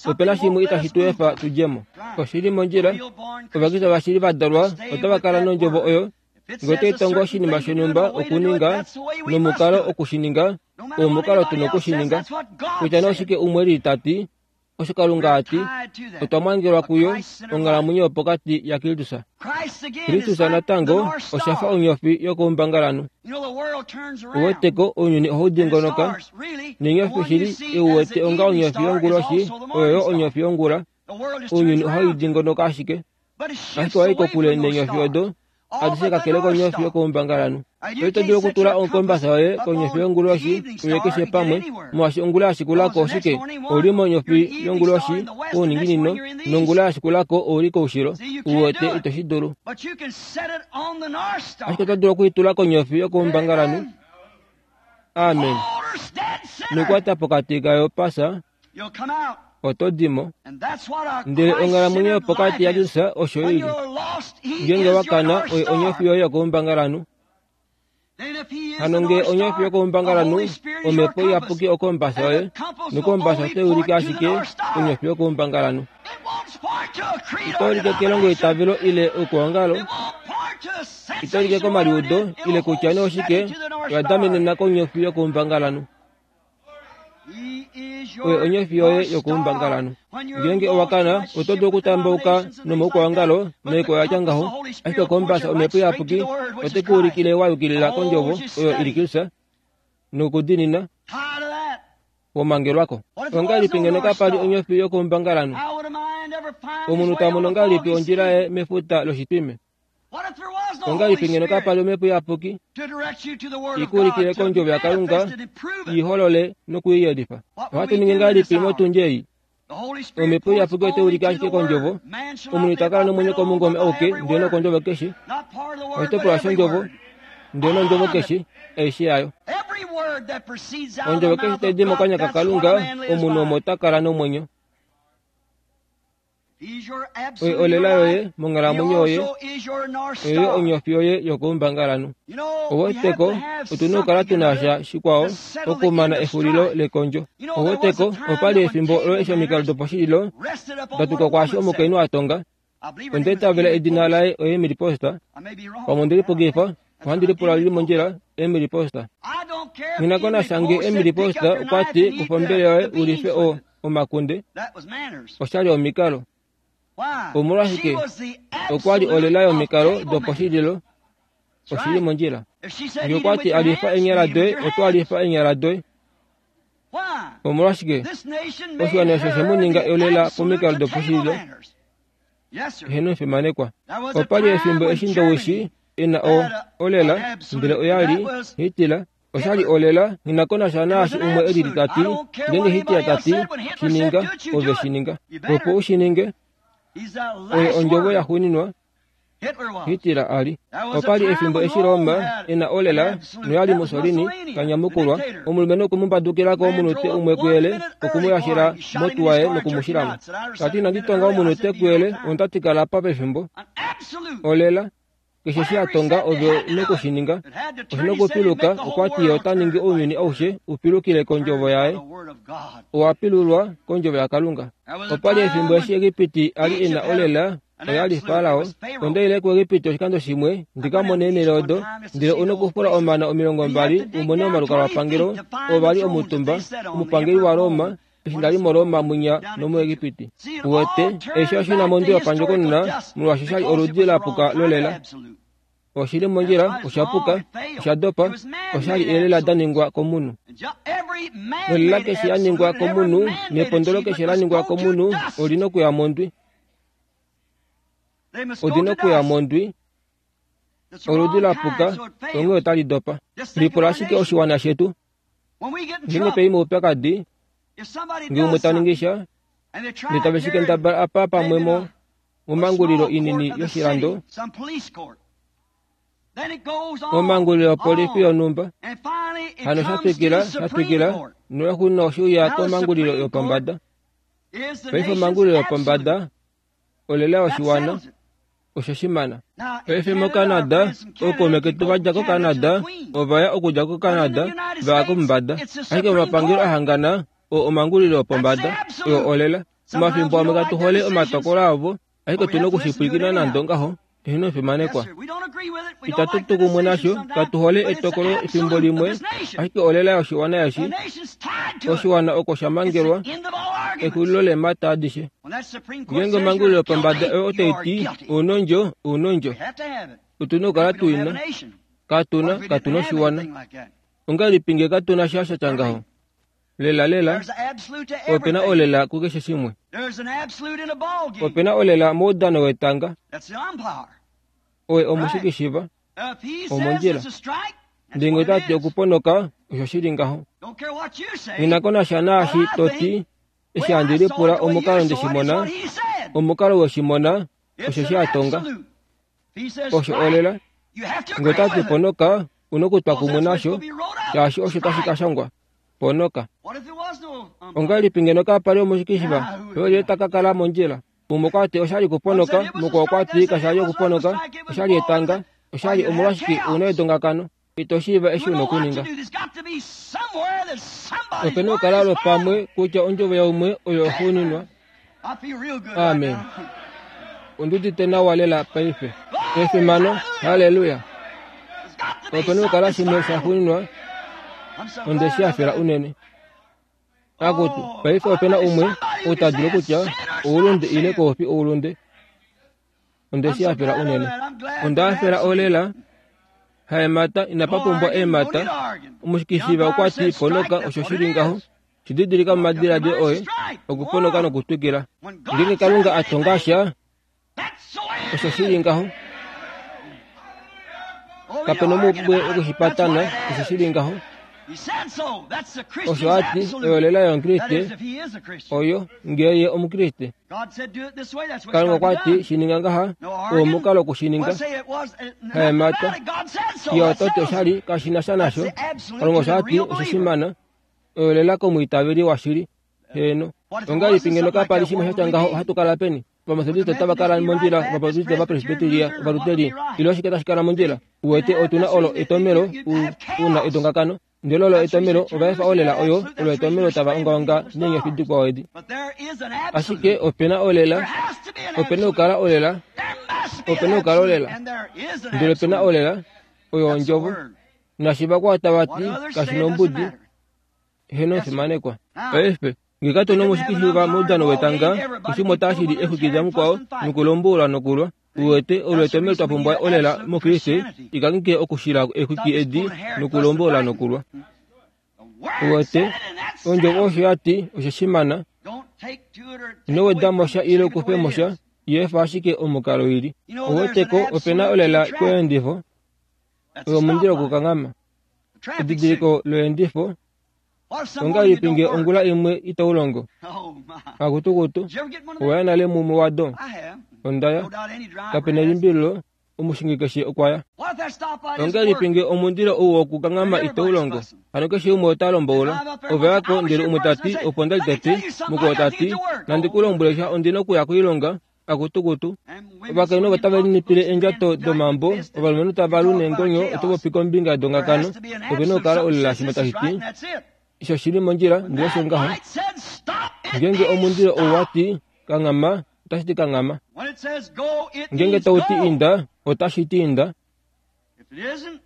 Opena shimwe itashi tu efa tudje mo. Oshili mondjila, Ovakriste vashili va dalwa otava kala nondjovo oyo. Ngee otai tongo oshinima shonhumba okuninga nomukalo okushininga, oo omukalo tuna okushininga. Kutya nee oshike umwe li tati, osho Kalunga ati, otwa mangelwa kuyo onghalamwenyo yopokati yaKristus. Kristus natango oshafa onyofi yokoumbangalanhu. Uweteko ounyuni ohau dingonoka, neenyofi shili eu wete onga onyofi yonguloshi oyo yo onyofi yongula. Ounyuni ohau dingonoka ashike. Ashike owai kokule neenyofi odo, adishe kakele konyofi yokoumbangalanhu. Oito dulu okutula okombasa yoye konyofi yonguloshi uye keshe pamwe, molwaashi ongula yashikulako oshike? Ouli monyofi yonguloshi kouninginino, nongula yashikulako ouli koushilo. Uwete ito shi dulu. Ashike oto dulu okuitula konyofi yokoumbangalanhu. Amen. Nokukwata pokati kayo pasa, oto dimo. Ndele onghalamwenyo yopokati yaKristus osho ili. Ngeenge wa kana, oyo onyofi yoye yokoumbangalanhu. Hano ngee onyofi yokoumbangalanhu, Omhepo Iyapuki okombasa yoye, nokombasa otai ulike ashike onyofi yokoumbangalanhu. Ito ulike kelongo eitavelo ile oukwaongalo, ito ulike komaliudo ile kutya nee oshike, oya damenena konyofi yokoumbangalanhu. Oyo onyofi yoye yokoumbangalanhu. Ngeenge owa kana, oto dulu okutambauka nomaukwaongalo noikwayo yatya ngaho, ashike okombasa Omhepo Iyapuki ote ku ulikile wa yukilila kondjovo oyo ili Kristus nokudiinina womangelwako. Ongahelipi ngeno kapali onyofi yokoumbangalanhu? Omunhu ta mono ngahelipi ondjila yaye mefuta loshitwime? Ongahelipi ngeno kapali Omhepo Iyapuki ikuulikile kondjovo yaKalunga, iholole nokuiyelifa? Ohatu ningi ngahelipi motundi ei? Omhepo Iyapuki otai ulike ashike kondjovo. Omunhu ita kala nomwenyo komungome auke, ndele nokondjovo keshe. Oshitopolwa shondjovo, ndele nondjovo keshe, aishe yayo. Ondjovo keshe tai di mokanya kaKalunga, omunhu omo ta kala nomwenyo. Oyo olela yoye monghalamwenyo yoye, oyo yo onyofi yoye yokoumbangalanhu. Oweteko otuna okukala tuna sha shikwao okumana exulilo lekondjo. Oweteko opali efimbo olo eshi omikalo doposhililo da tuka kwaashi omukainhu a tonga. Onda itavela edina laye oEmily Post. Pamwe onde lipukifa, ohandi lipula lili mondjila, Emily Post. Nghi ko nasha ngee Emily Post okwa ti kufa ombele yoye ulife o omakunde, oshali omikalo. Omolwashike? Okwali olela yomikalo doposhililo. Oshili mondjila. Ngee okwa ti alifa eenyala doye, oto alifa eenyala doye. Omolwashike? Oshiwana osho she mu ninga olela pomikalo doposhililo. Eheno omufimanekwa. Opali efimbo eshi Ndowishi ena o olela, ndele oyali Hitler. Oshali olela, nghi ko nasha naashi umwe elili tati, ngeenge Hitler tati, shininga, ove shininga. Opo u shi ninge, oyo ondjovo yaxuuninwa. Hitler ali. Opali efimbo eshi Roma ena olela noyali Mussolini kanyamukulwa omulumenhu okumumbadukilako omunute umwe kuyele okumuyashila motuwaye nokumushilamo. Kati inandi tonga omunute kuyele ondatikala apa pefimbo. Olela keshe shi atonga ove nokushininga oshina okupiluka okwati ye ota ningi ounyuni aushe upilukile kondjovo yaye. Owapilulwa kondjovo yaKalunga. Opali efimbo eshi Egipiti ali ena olela oyali Farao. Ondaile kuEgipiti oshikando shimwe ndikamone eenhele odo ndele una okufula omana omilongo mbali umone omalukalwapangelo ovali omutumba omupangeli waRoma eshi ndali moRoma mwinya nomuEgipiti. Uwete eshi oshina mondwi yopandjokonona molwaashi oshali oludi lapuka lolela. Oshili mondjila oshapuka oshadopa oshali elela daningwa komunhu. Nolela keshe yaningwa komunhu nepondolo keshe laningwa komunhu olina okuya mondwi. Olina okuya mondwi oludi lapuka onghee otali dopa. Lipula ashike oshiwana shetu. Ngeenge twai moupyakadi ngee umwe taningi sha ndele tave shi kendabala apa pamwe mo momangulilo inini yoshilando momangulilo yopolifi yonhumba hano shatwikila shatwikila noexuno oshiuya komangulilo yopombada. Paife omangulilo yopombada olela yoshiwana osho shimana. Paife moCanada ookaume ketu vadja koCanada ovaya okudja koCanada vaya komumbada. Ashike momapangelo ahangana oo omangulilo yopombada oyo olela. Omafimbo amwe katu hole omatokolo avo ashike otuna okushipwilikina nande ongaho eheno fimanekwa. Itatu tu kumwe nasho katu hole etokolo efimbo limwe ashike olela yoshiwana eshi oshiwana oko shamangelwa exulilo leemhata adishe. Ngeenge omangulilo yopombada oyo otaiti ounondjo ounondjo otuna okukala tuina katuna katuna oshiwana. Ongahelipi ngee katuna sha shatya ngaho? Lela lela opena olela kukeshe shimwe. Opena olela moudano wetanga. Oye omushikishiva omondjila. Ndele otati okuponoka osho shili ngaho. Nghinako nasha naashi toti eshi handi lipula omukalo ndeshimona omukalo weshimona osho shi atonga. Osho olela. Ngee otati ponoka una okutwa kumwe nasho shaashi osho tashi kashangwa. Ponoka. Ongahelipi ngeno kapali omushikishiva oye takakala mondjila. Umwe okwati oshali okuponoka mukwao okwati kashali okuponoka oshali etanga oshali omolwashike una edongakano. Ito shiiva eshi una okuninga. Opena okukala lwopamwe kutya ondjovo yaumwe oyo oxuuninwa. Amen. Ondiudite nawa lela paife. Efimano, haleluya. Opena okukala shimwe shaxuuninwa onde shi hafela unene. Akutu, paife opena umwe ou ta dulu kutya oulunde ile koufi oulunde. Onde shi hafela unene. Onda hafela olela. Haemata inapa pumbwa eemhata. Omushikishiva okwati ponoka osho shili ngaho. Shididilika momadiladilo oye okuponoka nokutwikila. Ngeenge Kalunga atonga sha osho shili ngaho. Kapena omubwe wokushipatana osho shili ngaho. Osho ati oyo olela yomukriste oyo ngee ye omukriste. Kalunga okwati shininga ngaha oo omukalo wokushininga. Haemata ye ototi oshali kashina sha nasho. Kalunga osho ati osho shimana oyo olela komwiitaveli washili. Heeno. Ongahelipi ngeno kapali shimwe shatya ngaho ohatu kala peni? Ovamethodiste otava kala mondjila, Ovabaptiste, Ovapresbiteria, Ovaluteri ile oshike tashi kala mondjila? Uwete otuna olo etomelo una edongakano. Ndele olo etomelo ovaefa olela oyo olo etomelo tava ongaonga neenyofi dikwao edi. Ashike opena olela, opena okukala olela, opena okukala olela. Ndele opena olela oyo ondjovo. Nashi vakwao tavati kashina ombudi heno fimanekwa. Paife ngee katuna omushikishiva moudano wetanga keshe umwe otashili exwiki damukwao nokulombulwa nokulwa. Uwete olo etomelo twapumbwa olela mokriste ikanghike okushila exwiki edi nokulombola nokulwa. Uwete ondjovo osho yati osho shimana. Ino wedamo sha ile ukufemo sha yeefa ashike omukalo ili. Uweteko opena olela koyeendifo oyo omundilo wokukanghama. Edidiliko loyeendifo ongahelipi ngee ongula imwe itaulongo? Akutukutu owaya nale mumwe wado. Ondaya kapena elimbililo Omushingi keshe okwa ya. Ongahelipi nge omundilo ou wokukanghama itau longo? Hano keshe umwe ota lomboula. Ove yako ndele umwe tati opo nda li tete, mukwao tati nandi ku lombwele sha ondi na okuya koilonga, akutukutu. Ovakainhu ovo tave linipile eendjato domambo, ovalumenhu tava lu neengonyo oto popi kombinga dongakano, ope na okukala olela shimwe tashi ti osho shili mondjila ndele osho ngaho. Ngeenge omundilo ou wati kanghama, otashi ti kanghama. Ngeenge tau ti inda, otashi ti inda.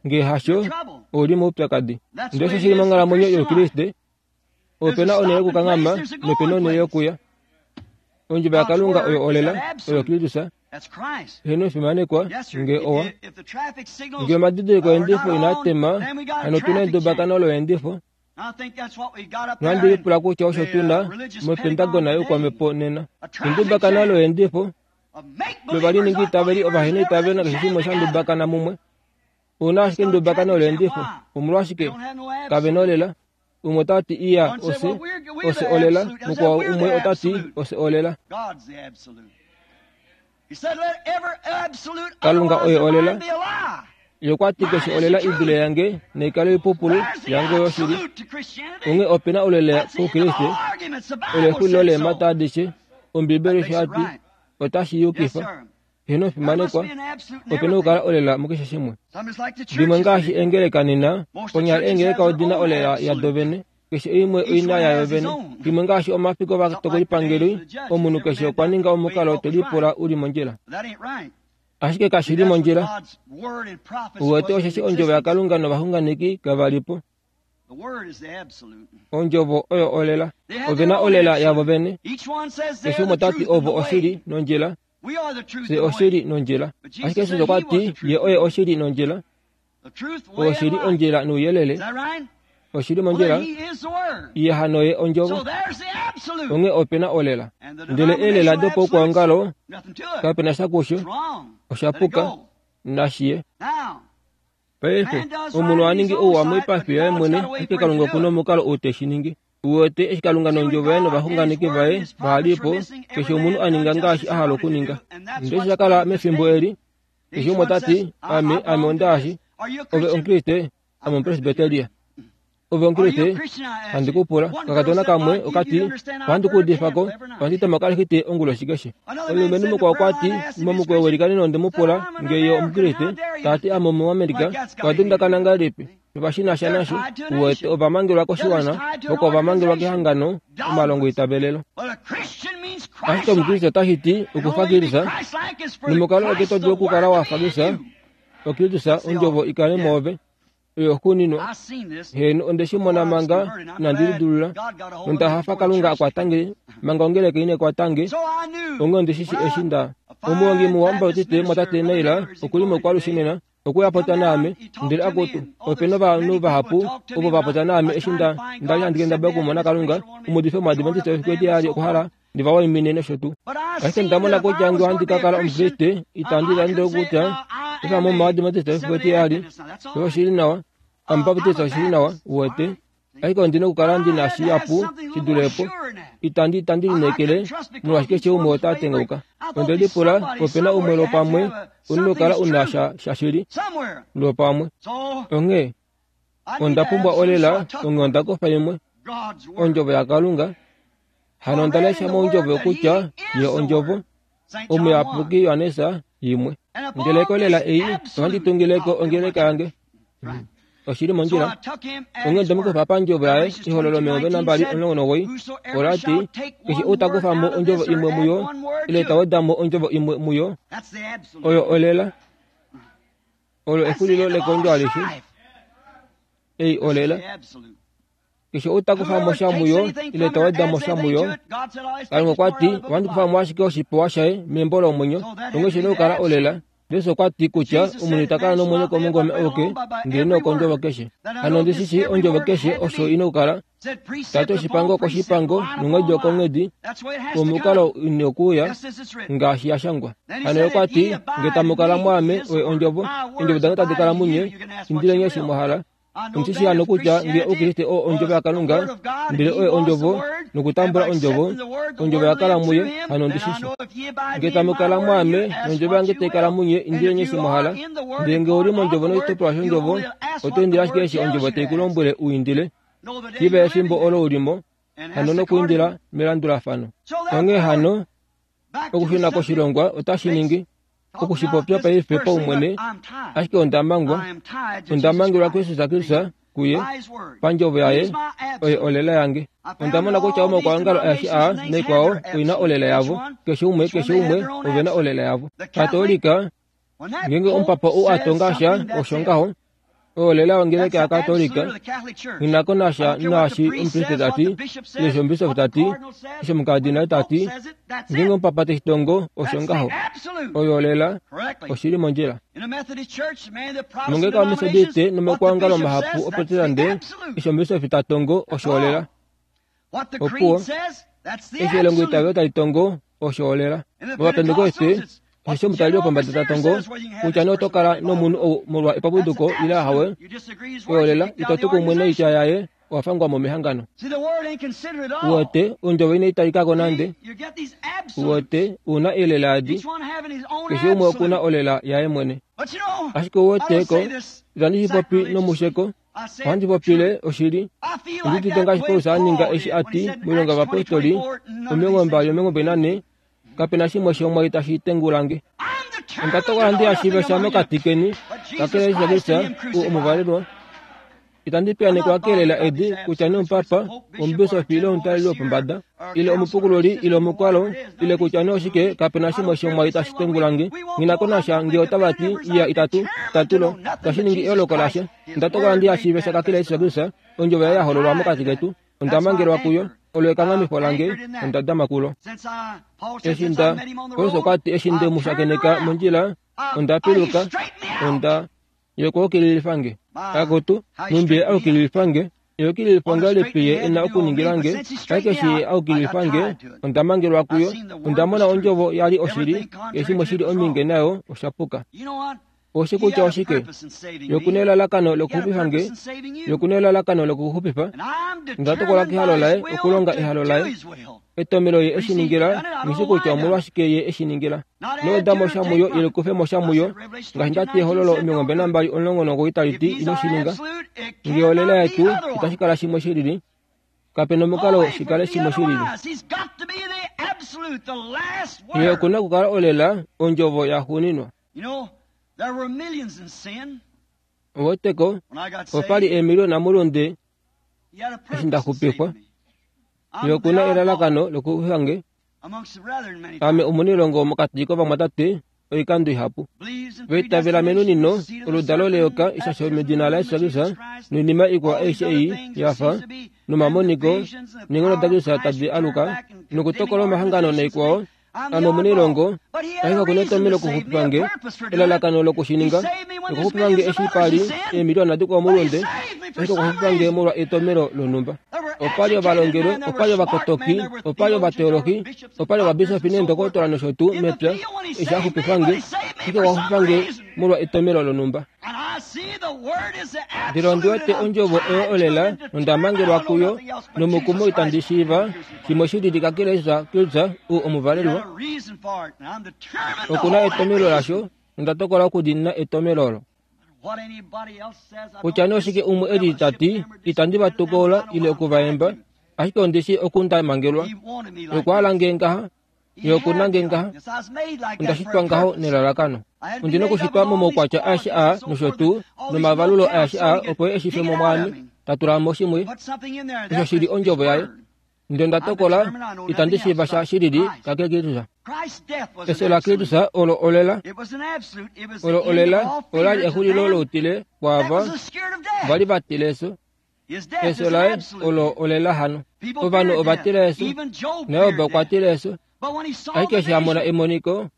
Ngee hasho, ouli moupyakadi. Ndele osho shili monghalamwenyo youKriste, ope na onhele yokukanghama nope na onhele yokuya. Ondjovo yaKalunga oyo olela, oyo Kristus. Heeno fimanekwa nge owa. Nge omadidiliko eendifo inaa tema, hano otu na edubakano loyeendifo. Nohandi lipula kutya osho tu na mOpentagon youkwamhepo nena. Edubakano loyeendifo lovaliningi itaveli ovahena itavelo nakeshe shimwe sha ndubakana mumwe. Ouna ashike edubakano loyeendifo. Omolwashike kave na olela? Umwe otati iya ose, ose olela, mukwao umwe otati ose olela. Kalunga oye olela. Ye okwa ti keshe olela i dule yange naikale oipupulu yange oyo oshili. Onghee ope na olela koukriste, olo exulilo leemhata adishe. Ombibeli osho ya ti otashi yukifa. Heeno fimanekwa, ope na okukala olela mukeshe shimwe. Dimwe ngaashi eengeleka nena, konyala eengeleka odi na olela yado vene, keshe imwe oina yayo vene. Dimwe ngaashi omafiku ovatokolipangeli, omunhu keshe okwa ninga omukalo te lipula uli mondjila. Ashike kashi li mondjila. Uwete osheshi ondjovo yaKalunga novaxunganeki kava li po. Ondjovo oyo olela. Ove na olela yavo vene. Keshe umwe ota ti ovo oshili nondjila, fye oshili nondjila. Ashike Jesus okwa ti ye oye oshili nondjila, oshili ondjila nouyelele. Oshili mondjila, ye hano ye ondjovo. Onghee ope na olela. Ndele eelela dopaukwaongalo kape na sha kusho, osha puka, nashi ye. Paife, omunhu oha ningi ouwa moipafi yaye mwene, ashike Kalunga oku na omukalo ou te shi ningi. Uwete eshi Kalunga nondjovo yaye novaxunganeki vaye vaha li po, keshe omunhu a ninga ngaashi a hala okuninga. Ndele osho sha kala mefimbo eli, keshe umwe ota ti, ame, ame ondaashi, ove Omukriste, ame Omupresbyteria. Ove Omukriste, handi ku pula. Kakadona kamwe okati, ohandi ku udifa ko, ohandi tema okalexite onguloshi keshe. Omulumenhu mukwao okwa ti, momukweyo welikaneno onde mu pula nge ye Omukriste, ta ti ame Omuamerika, owa dundakana ngahelipi? Ovashina sha nasho, uwete ovamangelwa koshiwana, voko ovamangelwa kehangano, omalongo itavelelo. Ashike Omukriste otashi ti okufa Kristus, nomukalo eke to dulu okukala wa fa Kristus, oKristus ondjovo ikale mwoove. Oyo xuuninwa. Heeno onde shi mona manga inandi lidulula, nonda hafa Kalunga a kwata nge manga ongeleka ine kwata nge. Onghee onde shi shi eshi nda. Omuhongi muwa Omubautiste mwatate Naila okuli mokwalushe nena, okwe popya naame, ndele akutu, ope na ovanhu vahapu ovo va popya naame eshi nda nda li handi kendabala okumona Kalunga, omuudifi wOmuadventiste wefiku etiyali okwa hala ndi va waimine nosho tuu. Ashike nda mona kutya nge ohandi ka kala Omukriste, itandi dande kutya efa mo Omuadventiste wefiku etiyali, osho oshili nawa, Omubaptiste oshili nawa, uwete. Ashike ondi na okukala ndi na shihapu shi dule po. Itandi itandi lineekele molwaashi keshe umwe ota tengauka. Onde lipula, ope na umwe lwopamwe, u na okukala u na sha shashili lwopamwe. Onghee onda pumbwa olela, onghee onda kufa imwe, ondjovo yaKalunga. Hano onda lesha mondjovo kutya ye ondjovo, omuyapuki Johannes yimwe. Ndele kolela ei, ohandi tungileko ongeleka yange. Oshili mondjila. Onghee onde mu kufa pandjovo yaye, ehololo omilongo nambali omulongo nomugoyi, ola ti, keshe ou ta kufa mo ondjovo imwe muyo, ile ta weda mo ondjovo imwe muyo, oyo olela. Olo exulilo lekondjo alishe. Ei olela. Keshe ou ta kufa mo sha muyo, ile ta weda mo sha muyo, Kalunga okwa ti, ohandi kufa mo ashike oshipewa shaye membo lomwenyo, onghee shi na okukala olela. Jesus okwa ti kutya omunhu ita kala nomwenyo komungome auke, ndele nokondjovo keshe. Hano ondi shi shii ondjovo keshe osho ina okukala. Tati oshipango okoshipango, nonghedi okonghedi, omukalo ine okuuya, ngaashi ya shangwa. Hano okwa ti, nge tamu kala mwaame, oye ondjovo, eendjovo dange tadi kala munye, indileni eshi mwa hala, Ondishi hano kutya nge Oukriste oo ondjovo yaKalunga, ndele oye ondjovo, nokutambula ondjovo, ondjovo yakala muye, hano ondishishi. Nge tamu kala mwaame, nondjovo yange tai kala munye, indileni eshi mwa hala. Ndele nge ouli mondjovo noshitopolwa shondjovo, oto indile ashike eshi ondjovo tai ku lombwele u indile. Shiiva efimbo olo ulimo, hano nokuindila melandulafano. Onghee hano, okushuna koshilongwa otashi ningi okushipopya paife paumwene, ashike onda mangwa, onda mangelwa Kristus Kristus kuye, pandjovo yaye, oye olela yange. Onda mona kutya omaukwaongalo aeshe aa naikwao oina olela yavo, keshe umwe keshe umwe ovena olela yavo. Katolika, ngenge omupapa ou a tonga sha osho ngaho, olela ongeleka yaKatolika, nghinako nasha naashi omupriste tati, ile eshi omubishofu tati, eshi omukadinale tati, ngenge omupapa teshitongo osho ngaho, oyo olela oshili mondjila. Mongeleka yoMethodiste nomaukwaongalo mahapu oProtestante, eshi omubishofi ta tongo osho olela. Opuwo, eshi elongo itavelo tali tongo osho olela. MOvapentekoste, osho omutaleli wopombada ta tongo kutya nee oto kala nomunhu ou molwa epapuduko ile ahawe, oyolela ito tu kumwe noitya yaye, owa fangwa mo mehangano. Uwete, ondjovo inai talikako nande. Uwete, una elela adi, keshe umwe okuna olela yaye mwene. Ashike uwete ko, itandi shi popi nomusheko, ohandi popile oshili. Ondi udite ngaashi Paulus a ninga eshi a ti moilonga yovapostoli omilongo mbali omilongo mbali nane, kapena shimwe shomwai tashi tengulange. Onda tokola ndi ashiive sha mokati keni, kakele Jesus Kristus ou omuvalelwa. Itandi piyaanekwa keelela edi kutya nee omupapa, omubishofi ile omutaleli wopombada, ile omupukululi ile omukwalo, ile kutya nee oshike, kapena shimwe shomwai tashi tengulange. Nghinako nasha nge otava ti iya itatu, tatulo, itashi ningi eoloko lasha. Onda tokola ndi ashiive sha kakele Jesus Kristus, ondjovo yaye ya hololwa mokati ketu. Onda mangelwa kuyo, olo ekanghamifo lange, onda dama kulo. Eshi nda, Paulus okwa ti eshi nde mu shakeneka mondjila, onda piluka, onda yokuukililifange. Akutu, nhumbi ye aukililifange, eukililifo ngahelipi ye e na okuningilange, ashike eshi ye aukililifange, onda mangelwa kuyo, onda mona ondjovo ya li oshili, keshe shimwe shili ominge nayo osha puka. Oshi kutya oshike? Yokuna elalakano lokuxupifange, yokuna elalakano lokuxupifa. Onda tokola kehalo laye okulonga ehalo laye. Etomelo ye eshi ningila, nghishi kutya omolwashike ye eshi ningila. Noweda mo sha muyo ile kufe mo sha muyo, ngaashi ndati ehololo omilongo mbali nambali omulongo nomugoyi tali ti ino shi ninga. Nge olela yetu itashi kala shimwe shilili, kapena omukalo shi kale shimwe shilili. Ye okuna okukala olela ondjovo yaxuuninwa. Oweteko, opa li eemiliona molunde eshi nda xupifwa. Ye okuna elalakano lokuxupifange. Ame omunilongo mokati kovamwatate oikando ihapu. Vaitavela menunino, oludalo leyoka ishasho medina laJesus Kristus, noinima ikwao aishe ei yafa, nomamoniko, neenghono daKristus tadi aluka, nokutokola omahangano naikwao. Ame omunilongo, ashike okuna etomelo lokuxupifange, elalakano lokushininga, okuxupifange eshi pa li eemiliona dikwao molunde, ashike okuxupifange molwa etomelo lonhumba. Opa li ovalongelwe, opa li ovakotoki, opa li ovateologi, opa li ovabisofi neendokotola nosho tuu mepya, eshi a xupifange, ashike okwa xupifange molwa etomelo lonhumba. Ndele ondi wete ondjovo oyo olela, nonda mangelwa kuyo, nomukumo itandi shiiva shimwe shilili kakele Jesus Kristus ou omuvalelwa. Okuna etomelo lasho, nonda tokola okudiinina etomelo olo. Kutya nee oshike umwe e li ta ti, itandi va tukola ile okuvaemba, ashike ondi shii oku nda mangelwa. Okwa nge ngaha, ye okuna nge ngaha, onda shitwa ngaho nelalakano. Ondi na okushitwa momaukwatya aeshe aa nosho tuu, nomavalulo aeshe aa opo ye e shi fe mo mwaame, ta tula mo shimwe, osho shi li ondjovo yaye. Ndele onda tokola, itandi shiiva sha shilili kakele Kristus. Efyo laKristus olo olela, olo olela ola li exulilo loutile kwaava va li va tila efyo. Efyo laye olo olela hano. Ovanhu ova tila efyo, naJob okwa tila efyo. Ashike eshi a mona emoniko,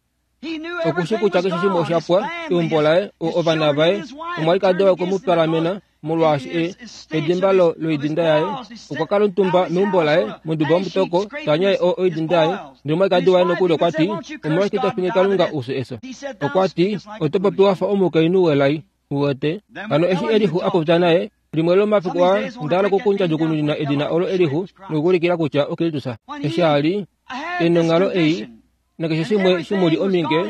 okushi kutya keshe shimwe osha pwa, eumbo laye, ovana vaye, omwalikadi waye okwe mu palamena, molwaashi e edimba loidinda yaye. Okwa kala omutumba meumbo laye, monduba yomutoko, ta nyaye oidinda yaye. Ndele omwalikadi waye nokuli okwa ti, omolwashike to fingi Kalunga ufye efyo? Okwa ti, oto popi wa fa omukainhu welai. Uwete? Hano eshi Elihu a popya naye, Limwe lomafiku aa onda hala okukundjadjukununa edina olo Elihu nokuulikila kutya oKristus. Eshi a li e nonghalo ei nakeshe shimwe shimuli ominge,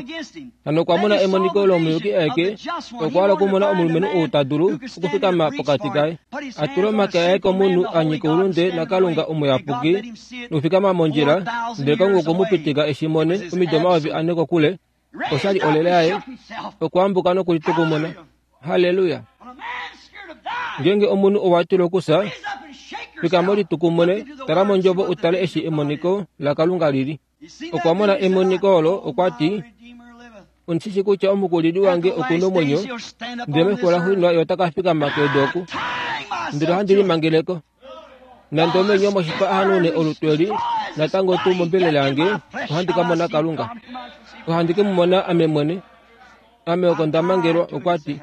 hano okwa mona emoniko lomuyuki aeke. Okwa hala okumona omulumenhu ou ta dulu okufikama pokati kaye, a tula omake aye komunhu a nyika oulunde naKalunga omuyapuki nokufikama mondjila, ndele Kalunga okwe mu pitika eshi mone omido omayovi ane kokule. Oshali olela yaye, okwa ambuka nokulitukumuna. Halleluya! Ngeenge omunhu owa tila okufya, fikama ulitukumune, tala mondjovo utale eshi emoniko laKalunga lili. Okwa mona emoniko olo, okwa ti, Ondishi kutya omukulili wange okuna omwenyo, ndele mefiku laxuuninwa ye ota ka fikama kedu oku. Ndele ohandi limangeleko. Nande omenyo moshipa a hanaune olutu eli, natango tuu mombelela yange ohandi ka mona Kalunga. Ohandi ke mu mona ame mwene. Ame oko nda mangelwa, okwa ti.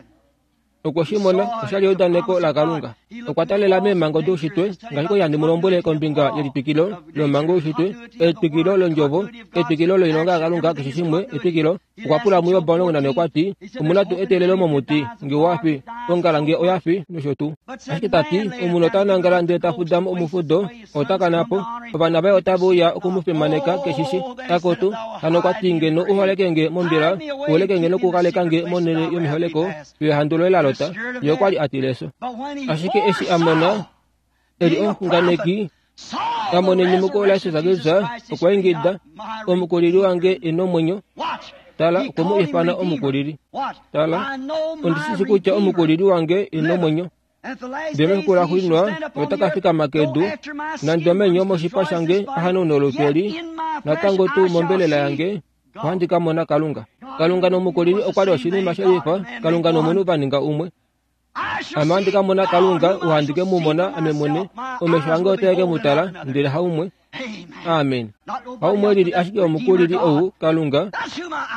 Okwe shi mona, oshali eudaneko laKalunga. Okwa talela meemhango doushitwe, ngaashi kwali handi mu lombwele kombinga yelitwikilo lomhango youshitwe, etwikilo londjovo, etwikilo loilonga yaKalunga, keshe shimwe, etwikilo. Okwa pula muJob omulongo nane okwa ti, omuna tuu eteelelo momuti, nge owa fi, ongala nge oya fi, nosho tuu. Ashike ta ti, omunhu ota nangala ndele ta fuda mo omufudo, ota kana po. Ovana vaye otave uya oku mu fimaneka keshishi. Akutu, hano okwa ti ngeno u holeke nge mombila, u holeke nge nokukaleka nge monhele yomiholeko, fiyo ehandu loye la lota. Ye okwa li a tila efyo. Ashike eshi a mona, e li omuxunganeki, a mona enyumuko laJesus Kristus, okwa ingida, omukulili wange e nomwenyo. Tala, okwe mu ifana omukulili. Tala, ondi shi kutya omukulili wange e nomwenyo. Ndele mefiku laxuuninwa ota ka fikama kedu, nande omenyo moshipa shange a hanaune olutu eli, natango tuu mombelela yange ohandi ka mona Kalunga. Kalunga nomukulili okwa li oshinima shelifa, Kalunga nomunhu va ninga umwe. Ame ohandi ka mona Kalunga, ohandi ke mu mona ame mwene, omesho ange otae ke mu tala, ndele haumwe. Amen. Haumwe lili ashike omukulili ou Kalunga,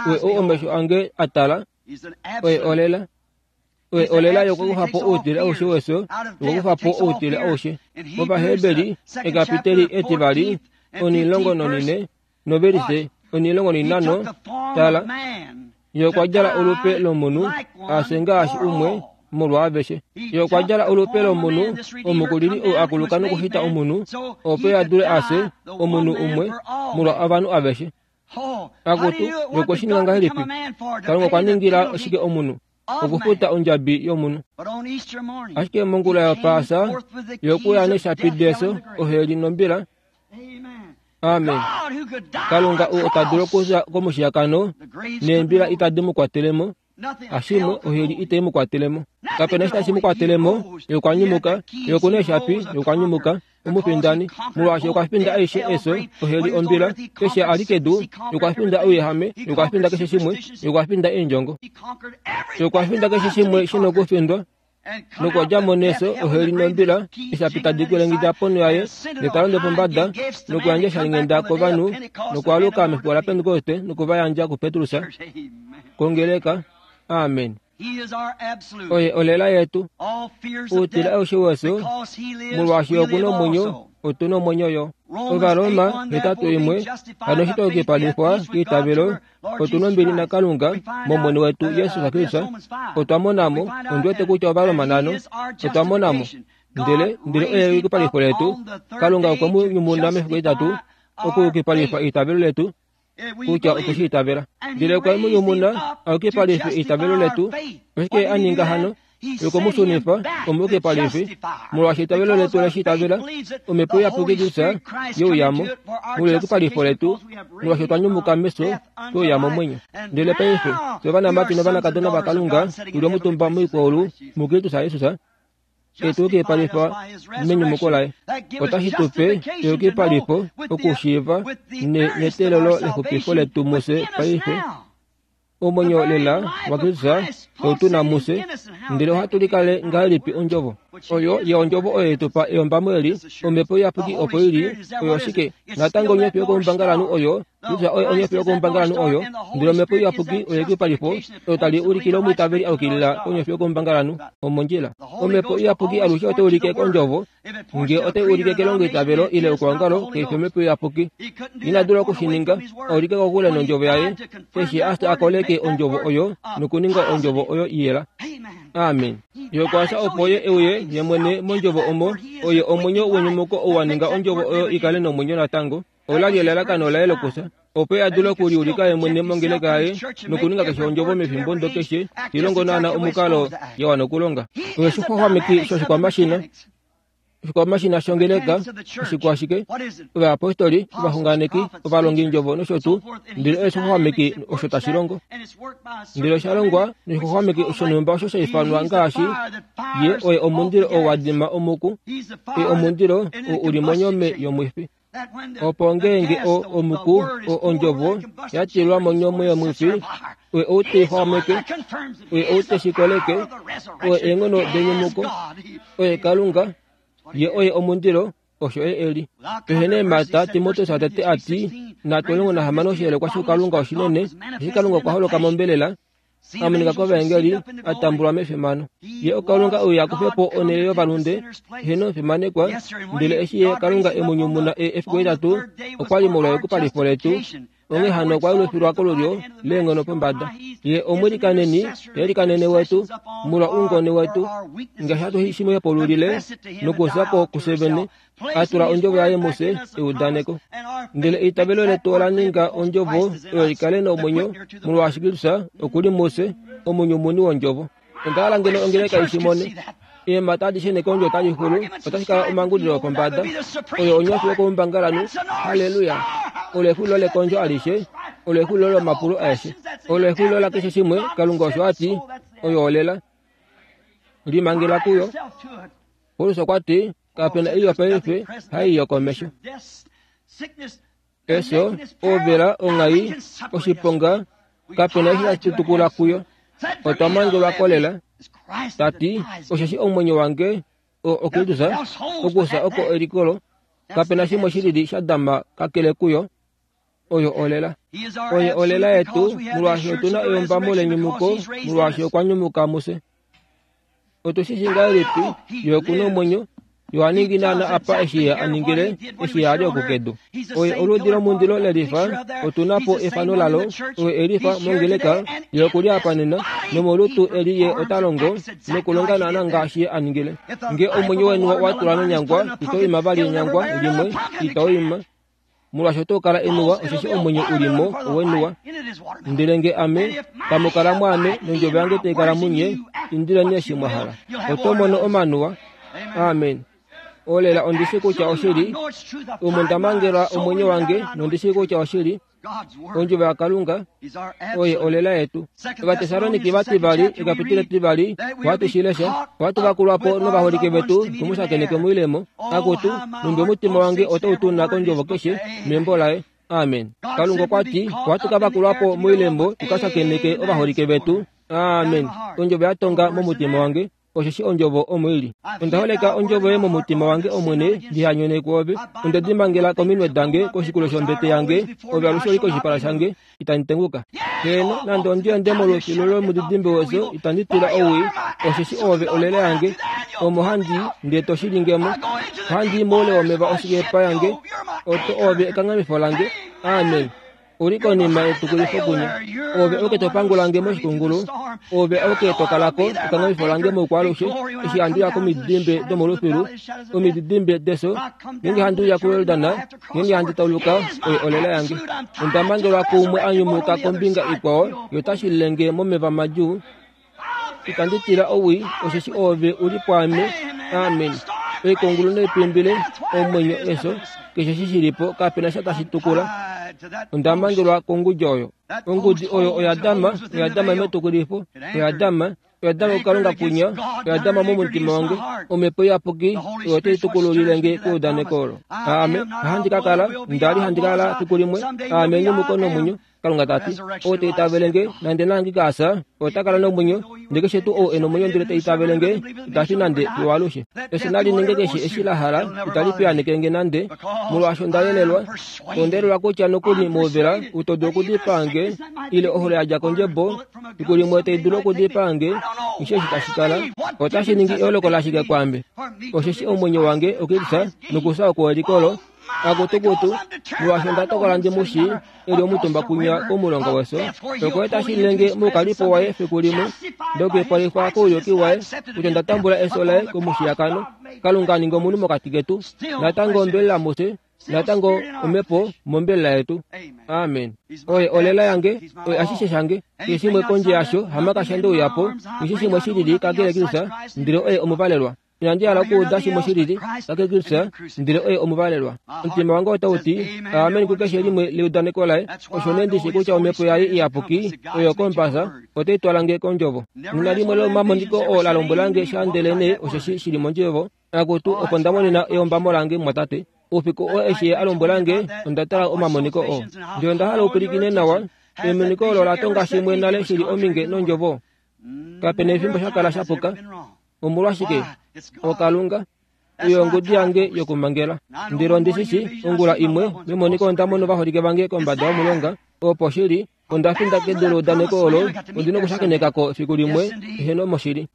oye ou omesho ange a tala, oye olela. Oye olela yokukufa po outile aushe wefyo, yokukufa po outile aushe. Ovaheberi ekapiteli etivali onilongo nonine novelise onilongo ninhano, tala, ye okwa djala olupe lomunhu, afye ngaashi umwe molwaaveshe. Ye okwa djala olupe lomunhu, omukulili ou akuluka nokushita omunhu, opo ye a dule afye omunhu umwe molwa ovanhu aveshe. Akutu, ye okwe shi ninga ngahelipi? Kalunga okwa ningila shike omunhu? Okufuta ondjabi yomunhu. Ashike mongula yopaasa, ye okuya neshapi defyo, oheli nombila. Amen. Kalunga ou ota dulu okufya komushiyakano, neembila itadi mu kwatele mo. Ashimwe, oheli itai mu kwatele mo. Kapena eshi tashi mu kwatele mo, ye okwa nyumuka, ye okuna eshapi, ye okwa nyumuka, omufindani, molwaashi okwa finda aishe efyo, oheli ombila, keshe a li kedu, ye okwa finda ouyehame, ye okwa finda keshe shimwe, ye okwa finda eendjongo. Ye okwa finda keshe shimwe shi nokufindwa, nokwa dja mo nefyo, oheli nombila, eshapi tadi kwelengida ponho yaye, ndele ta londo pombada, nokuyandja oshalinghenda kovanhu, nokwaaluka mefiku laPentekoste, nokuvayandja kuPetrus, kongeleka. Amen. Oye olela yetu. Outile aushe wefyo, molwaashi okuna omwenyo, otuna omwenyo yo. Ovaroma hetatu imwe, hano eshi twayukipalifwa keitavelo, otuna ombili naKalunga mOmwene wetu Jesus Kristus. Otwa mona mo, ondi wete kutya Ovaroma nhano, otwa mona mo. Ndele, ndele oye eyukipalifo letu. Kalunga okwe mu nyumuna mefiku etitatu okuyukipalifa eitavelo letu, kutya okwe shi itavela. Ndele okwe mu nyumuna ayukipalife eitavelo letu. Oshike a ninga hano? Ye okwe mu shunifa omuyukipalifi, molwaashi eitavelo letu le shi itavela, Omhepo Iyapuki Kristus ye uya mo molweyukipalifo letu, molwaashi otwa nyumuka mefyo twe uya momwenyo. Ndele paife fye ovanamati novanakadona vaKalunga tuli omutumba moikwaulu muKristus Jesus, etuyukipalifa menyumuko laye. Otashi tu pe eyukipalifo okushiiva neteelelo lexupifo letu mufye paife. Omwenyo lela waKristus otu na mufye, ndele ohatu likale ngahelipi ondjovo? Oyo ye ondjovo oyo yetu pa eyombamo eli, Omhepo Iyapuki opo ili, oyo oshike? Natango onyofi yokoumbangalanhu oyo Kristus oye onyofi yokoumbangalanhu oyo, ndele Omhepo Iyapuki oye eyukipalifo olo tali ulikile omwiitaveli a yukilila konyofi yokoumbangalanhu omondjila. Omhepo Iyapuki alushe otai ulike kondjovo, nge otai ulike kelongoitavelo ile okuongalo keifi Omhepo Iyapuki. Ina dula okushininga, aulike kokule nondjovo yaye, eshi a koleke ondjovo oyo nokuninga ondjovo oyo iyela. Amen. Ye okwa fya opo ye euye ye mwene mondjovo omo, oye omwenyo wenyumuko ou wa ninga ondjovo oyo ikale nomwenyo natango. Ola li elalakano laye lokufya, opo ye a dule okuliulika ye mwene mongeleka yaye nokuninga keshe ondjovo mefimbo ndo keshe ilongo naana omukalo ya wana okulonga. Oye oshixwaxwameki shoshikwamashina, oshikwamashina shongeleka, oshikwashike, ovayapostoli, ovaxunganeki, ovalongindjovo nosho tuu, ndele oye oshixwaxwameki osho tashi longo. Ndele osha longwa noshixwaxwameki shonhumba osho sha ifanwa ngaashi ye oye omundilo oo wa dima omuku, oye omundilo oo u li monyome yomwifi. Opo ngeenge o omuku o ondjovo ya tilwa monyome yomwifi, oye ou te xwameke, oye ou te shi koleke, oye eenghono denyumuko, oye Kalunga, ye oye omundilo, osho ye eli. Pehe neemhata, Timoteus atete a ti, nhatu omulongo nahamano oshiyelekwa shoukalunga oshinene, eshi Kalunga okwa holoka mombelela, a monika kovaengeli, a tambulwa mefimano. Ye okalunga ou akufe po onhele yovalunde, eheno omufimanekwa, ndele eshi ye Kalunga e mu nyumuna efiku etitatu, okwa li molwa eyukipalifo letu, onghee hano okwa yelufilwa kolulyo leenghono pombada. Ye omwilikaneni, yelikanene wetu, molwa oungone wetu, ngaashi hatu shi mu hepululile nokufya ko kufye vene, a tula ondjovo yaye mufye eudaneko. Ndele eitavelo letu ola ninga ondjovo oyo ikale nomwenyo, molwaashi Kristus oku li mufye, omunyumuni wondjovo. Onda hala ngeno ongeleka i shi mone. Eemhata adishe nekondjo otali xulu, otashi kala omangudilo opombada, oyo onyofi yokoumbangalanhu. Halleluya! Olo exulilo lekondjo alishe, olo exulilo lomapulo aeshe, olo exulilo lakeshe shimwe. Kalunga osho a ti, oyo olela. Limangela kuyo. Paulus okwa ti, kapena ei yopaife hai yokomesho. Efyo, ouvela, onghai, oshiponga, kapena eshi tashi tutukula kuyo. Otwa mangelwa kolela. Tati, osheshi omwenyo wange o oKristus, okufya oko elikolo, kapena shimwe shilili sha dama kakele kuyo. Oyo olela. Oye olela yetu, molwaashi otuna eyombamo lenyumuko, molwaashi okwa nyumuka mufye. Otu shi shi ngahelipi ye okuna omwenyo? Yo a ningi naana apa eshi ye a ningile eshi ye a li okukedu. Oye oludi lomundilo lelifa, otuna po efano lalo, oye elifa mongeleka, ye okuli apa nena, nomolutu eli ye ota longo nokulonga naana ngaashi ye a ningile. Nge omwenyo weni wa tulwa nonyangwa, ito ima vali enyangwa limwe, ito ima. Molwaashi oto kala enuwa, osheshi omwenyo u li mo owenuwa. Ndele nge ame tamu kala mwaame nondjovo yange tai kala munye, indileni eshi mwa hala. Oto mono omanuwa. Amen. Olela ondi shi kutya oshili, omo nda mangela omwenyo wange nondi shi kutya oshili, ondjovo yaKalunga oye olela yetu. Ovatesaloniki vativali ekapitule tivali, ohatu shi lesha, ohatu vakulwa po novaholike vetu tu mu shakeneke moilemo. Akutu, numbi omutima wange otau tuna kondjovo keshe membo laye. Amen. Kalunga okwa ti, ohatu ka vakulwa po moilemo tu ka shakeneke ovaholike vetu. Amen. Ondjovo ya tonga momutima wange, osheshi ondjovo omo ili. Onda holeka ondjovo yoye momutima wange, Omwene, ndihanyone kwoove. Onde di mangela kominwe dange, koshikulo shombete yange, ove alushe oli koshipala shange, itandi tenguka. Heeno, nande ondi ende molufilu lomudidimbe wefyo, itandi tila owii, osheshi oove olela yange, omo handi ndee to shi lingemo. Ohandi i moule womeva oshikepa yange, oto oove ekanghamifo lange. Amen. Uli konima yetukulifo kunya. Ove oke to pangula nge moshikungulu, ove oke to kalako ekanghamifo lange moukwaalushe, eshi handi ya komididimbe domolufilu, omididimbe defyo, ngeenge handi uya kuYordan, ngeenge handi tauluka, oye olela yange. Onda mangelwa kuumwe a nyumuka kombinga ikwao, ye ota shilile nge momeva madjuu. Itandi tila owii, osheshi oove u li pwaame. Amen. Oikungulu noipimbile, omwenyo, efyo, keshe eshi shi li po, kapena sha tashi tukula. Onda mangelwa kongudi oyo. Ongudi oyo oya dama, oya dama metukulifo, oya dama, oya dama kuKalunga kunya, oya dama momutima wange. Omhepo Iyapuki oyo tai tukululile nge keudaneko olo. Aame, handi ka kala, nda li handi kala fiku limwe, aame enyumuko nomwenyo. Kalunga tati ou ta itavelenge nande nangi kasa ota kala nomwenyo ndele keshe tuu ou ena omwenyo ndele ta itavelenge itafi nande fiyo alushe. Efyo nali ninge keshe eshi la hala itali piyaaneke nande molwaasho onda yelelwa ondelelwa kutya nokuli mouvela utodulu okudipaange ile ohole yadja kondjebo fiku limwe tai dulu okudipaange eshi eshi tashi kala otashi ningi eoloko lashike kwaame osheshi omwenyo wange okilisa nokusa okwelikolo akutukutu molwaasho onda tokola ndi mushi eli omutumba kunya komulonga weso oko tashi lenge moukalipo waye fiku limwe ndokuipalifwa kouyuki waye kutya onda tambula eso laye komushiyakano. Kalunga aninga omunhu mokati ketu natango ombelela mufye natango omhepo mombelela yetu. Amen. Oye olela yange oye ashishe shange keshe shimwe kondje yasho hamakasha ndeuyapo keshe shimwe shilili kakele Kristu ndele oye omuvalelwa. Inandi hala okuuda shimwe shilili kakele Kristu ndele oye omuvalelwa. Omutima wange otau ti amen kukeshe limwe leudaneko laye. Osho nee ndishi kutya omhepo yaye iyapuki oyo kompasa otai twala nge kondjovo. Nena limwe lomamoniko oo la lombwela sha ndele nee osheshi shili mondjovo akutu opo nda monena eombamo lange mwatate. Oufiku oo eshi a lombwela nge onda tala omamoniko oo. Ndele onda hala upwilikine nawa emoniko olo la tonga shimwe nale shili ominge nondjovo. Kapena efimbo sha kala sha puka. Omolwashike? Okalunga oyo ongudi yange yokumangela. Ndele ondishishi ongula imwe memoniko onda mona ovaholike vange kombada yomulonga opo shili onda finda kedu leudaneko olo ondina okushakenekako fiku limwe eheno moshili.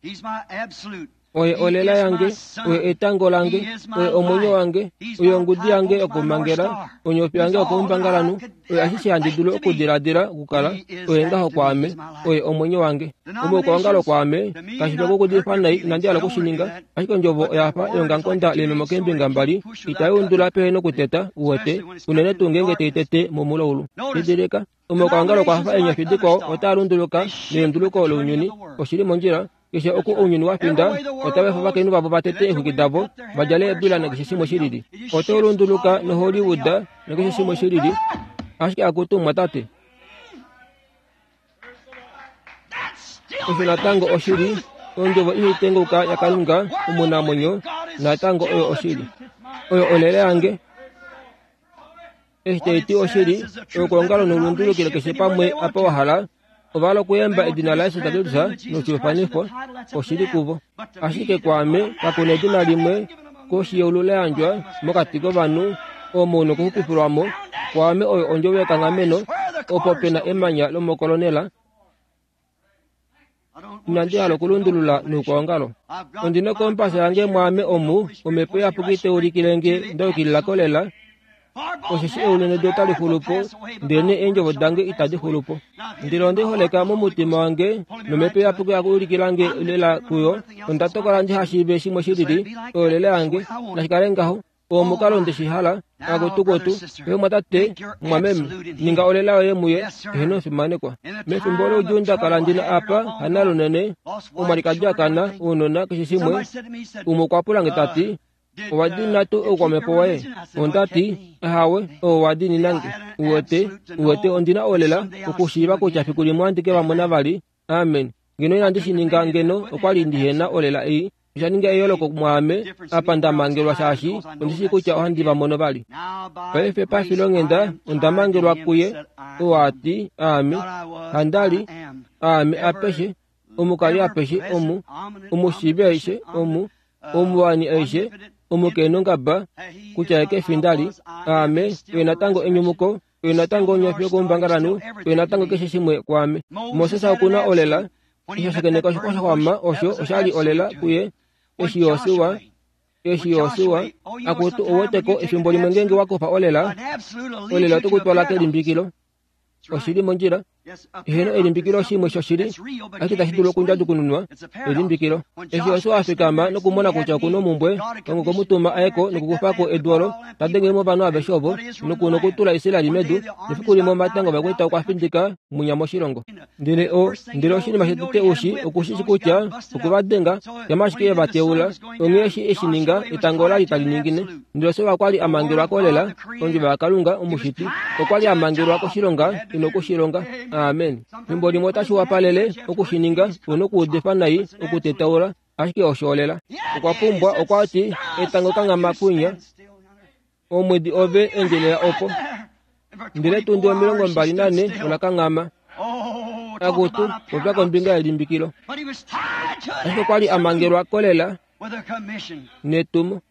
Oye olela yange oye etango lange oye omwenyo wange oye ongudi yange yokumangela onyofi yange yokoumbangalanhu oye ashishe handi dulu okudiladila okukala oye ngaho kwaame oye omwenyo wange. Omukwaongalo kwaame kashi fi okudifa nai inandi hala okushininga ashike ondjovo oyafa eongamukonda leememo keembinga mbali itai undula pehe nokuteta uwete unene tuu ngeenge tai tete momulaulu. Didilika omukwaongalo okwafa eenyofi dikwao otaa lunduluka nelunduluko lounyuni oshili mondjila. Keshe oku ounyuni wa finda otava efa ovakainhu vavo vatete eexwiki davo vadjale eebwila nakeshe shimwe shilili. Oto lunduluka noHollywood nakeshe shimwe shilili ashike akutu mwatate. Osho natango oshili ondjovo ihaitenguka yaKalunga omunamwenyo natango oyo oshili oyo olele yange. Eshi taiti oshili oyokuongalo noulundulukile keshe pamwe apa wa hala ovahala okuyemba edina laYesu Kristus noshifanifo oshili kuvo. Ashike kwaame kakuna edina limwe koshi yeulu la yandjwa mokati kovanhu omo una okuxupifilwamo. Kwaame oyo ondjovo yekanghameno opo pena emanya lomokolonela. Inandi hala okulundulula noukwaongalo. Ondina okompasa yange mwaame omu omhepo iyapuki teulikile nge nda yukilila kolela osheshi eulu nedu otali xulupo ndele eendjovo dange itadi xulupo. Ndele onde holeka momutima wange nomhepo iyapuki yakuulikila nge lela kuyo. Onda tokola ndihashiive shimwe shilili oyo lela yange nashikale ngaho omukalo ndeshihala akutukutu ehe mwatate mwameme ninga olela yoye muye eheno fimanekwa. Mefimbo loudjuu nda kala ndina apa hanalunene omwalikadi akana ounona keshe shimwe umwe okwa pula nge tati owa dina tuu oukwamhepo waye? Ondati ahawe oo wa dininange uwete uwete ondina olela okushiiva kutya fiku limwe andike vamona vali. Amen. Ngeno inandi shininga ngeno okwali ndihena olela ei osha ninga eyooloko mwaame apa nda mangelwa shaashi ondishi kutya ohandi va mono vali. Paife pafilonghenda onda mangelwa kuye oo ati aame handali aame apeshe omukali apeshe omu omushiivi aishe omu omuwani aishe omukenongaba kutya ye kefi ndali aame oye natango enyumuko oye natango onyofi yokoumbangalanhu oye natango keshe shimwe kwaame. Moses okuna olela eshi ashakeneka oshixwa shaxwama osho oshali olela kuye eshi Yosua eshi Yosua akutu oweteko efimbo limwe ngeenge wakufa olela olela ote kutwala kelimbikilo oshili mondjila. Eheno elimbikilo shimwe shoshili ashike tashi dulu okundjadukununwa elimbikilo. Eshi Yosua afikama nokumona kutya okuna omumbwe Kalunga okwemutuma ayeko nokukufako edu olo tadengele ovanhu aveshe ovo nokutula Israeli medu nefiku limwe omatango ovakwaita okwa findika mwinya moshilongo. Ndele o ndele oshinima shetete ushi okushishi kutya okuvadenga shama ashike eva teula onghee eshi eshi ninga etango olali tali ningine. Ndele Yosua okwali amangelwa kolela ondjovo yaKalunga omushiti okwali amangelwa koshilonga ino kushilonga. Amen. Fimbo limwe otashi wapalele okushininga una okuudifa nai okutetaula ashike osho olela. Okwa pumbwa okwati etango kanghama kwinya omwedi ove endjelela opo Ndele tundi omilongo mbali nane olakanghama. Akutu popya kombinga yelimbikilo. Ashike okwali amangelwa kolela netumo.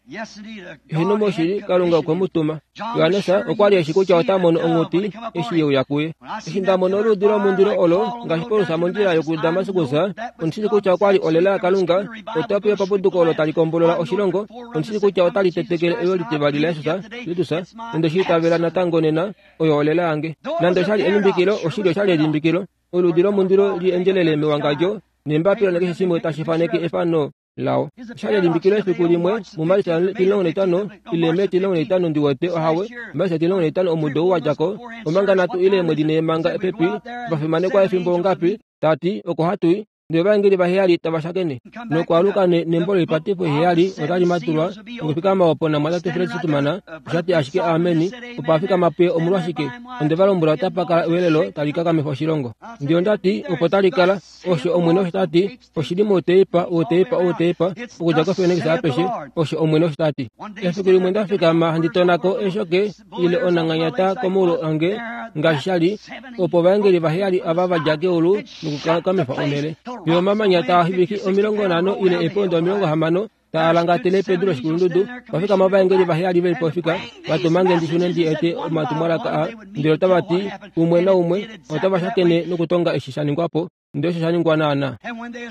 Hino moshili Kalunga okwe mu tuma. Johannes okwali eshi kutya ota mono onghuti eshi yeuya kuye. Eshi nda mona oluudi lomundilo olo ngaashi Paulus mondjila yokuDamaskus, ondishili kutya okwali olela yaKalunga, otapu yopapuduko olo tali kombolola oshilongo, ondishili kutya otali tetekele eyo litivali laJesus Kristus, nonde shi itavela natango nena, oyo olela yange. Nande oshali elimbikilo, oshili oshali elimbikilo. Oluudi lomundilo li endjelele mewangadjo, nembapila nakeshe shimwe tashi faneke efano lao. Oshali elimbikilo efiku limwe muMarisa etimulongo naitano ile Mei etimulongo naitano ndiwete ohawe Marisa etimulongo naitano omudo wadjako omanga nhatu ile eemwedi nhee manga pepi vafimanekwa efimbo ongapi tati oko hatui ndele ovaengeli vaheyali tava shakene nokwaluka nembo loipatifo heyali otali matulwa nokufikama opo namwatate Fred Sutumana oshati ashike ameni opo afikama puye omolwashike onde va lombwela otapa kala ewelelo tali kakamifa oshilongo. Ndele ondati opo tali kala osho Omwene osho tati oshili mouteipa outeipa outeipa okudja koFenix apeshe osho Omwene osho tati. Efiku limwe ndafikama handi tonako eeshoke ile onanganyata komaulu ange ngaashi shali opo ovaengeli vaheyali ava vadja keulu nokukakamifa onhele. Yo omamanya taa hiviki omilongo nhano ile eepondo omilongo hamano taa langatele pedu loshikulundudu. Vafikama ovaengeli vaheyali veli pofika vatumange ndishune ndi ete omatumwalaka a ndele otava ti umwe naumwe otava shakene nokutonga eshi sha ningwapo ndele osho sha ningwa naana.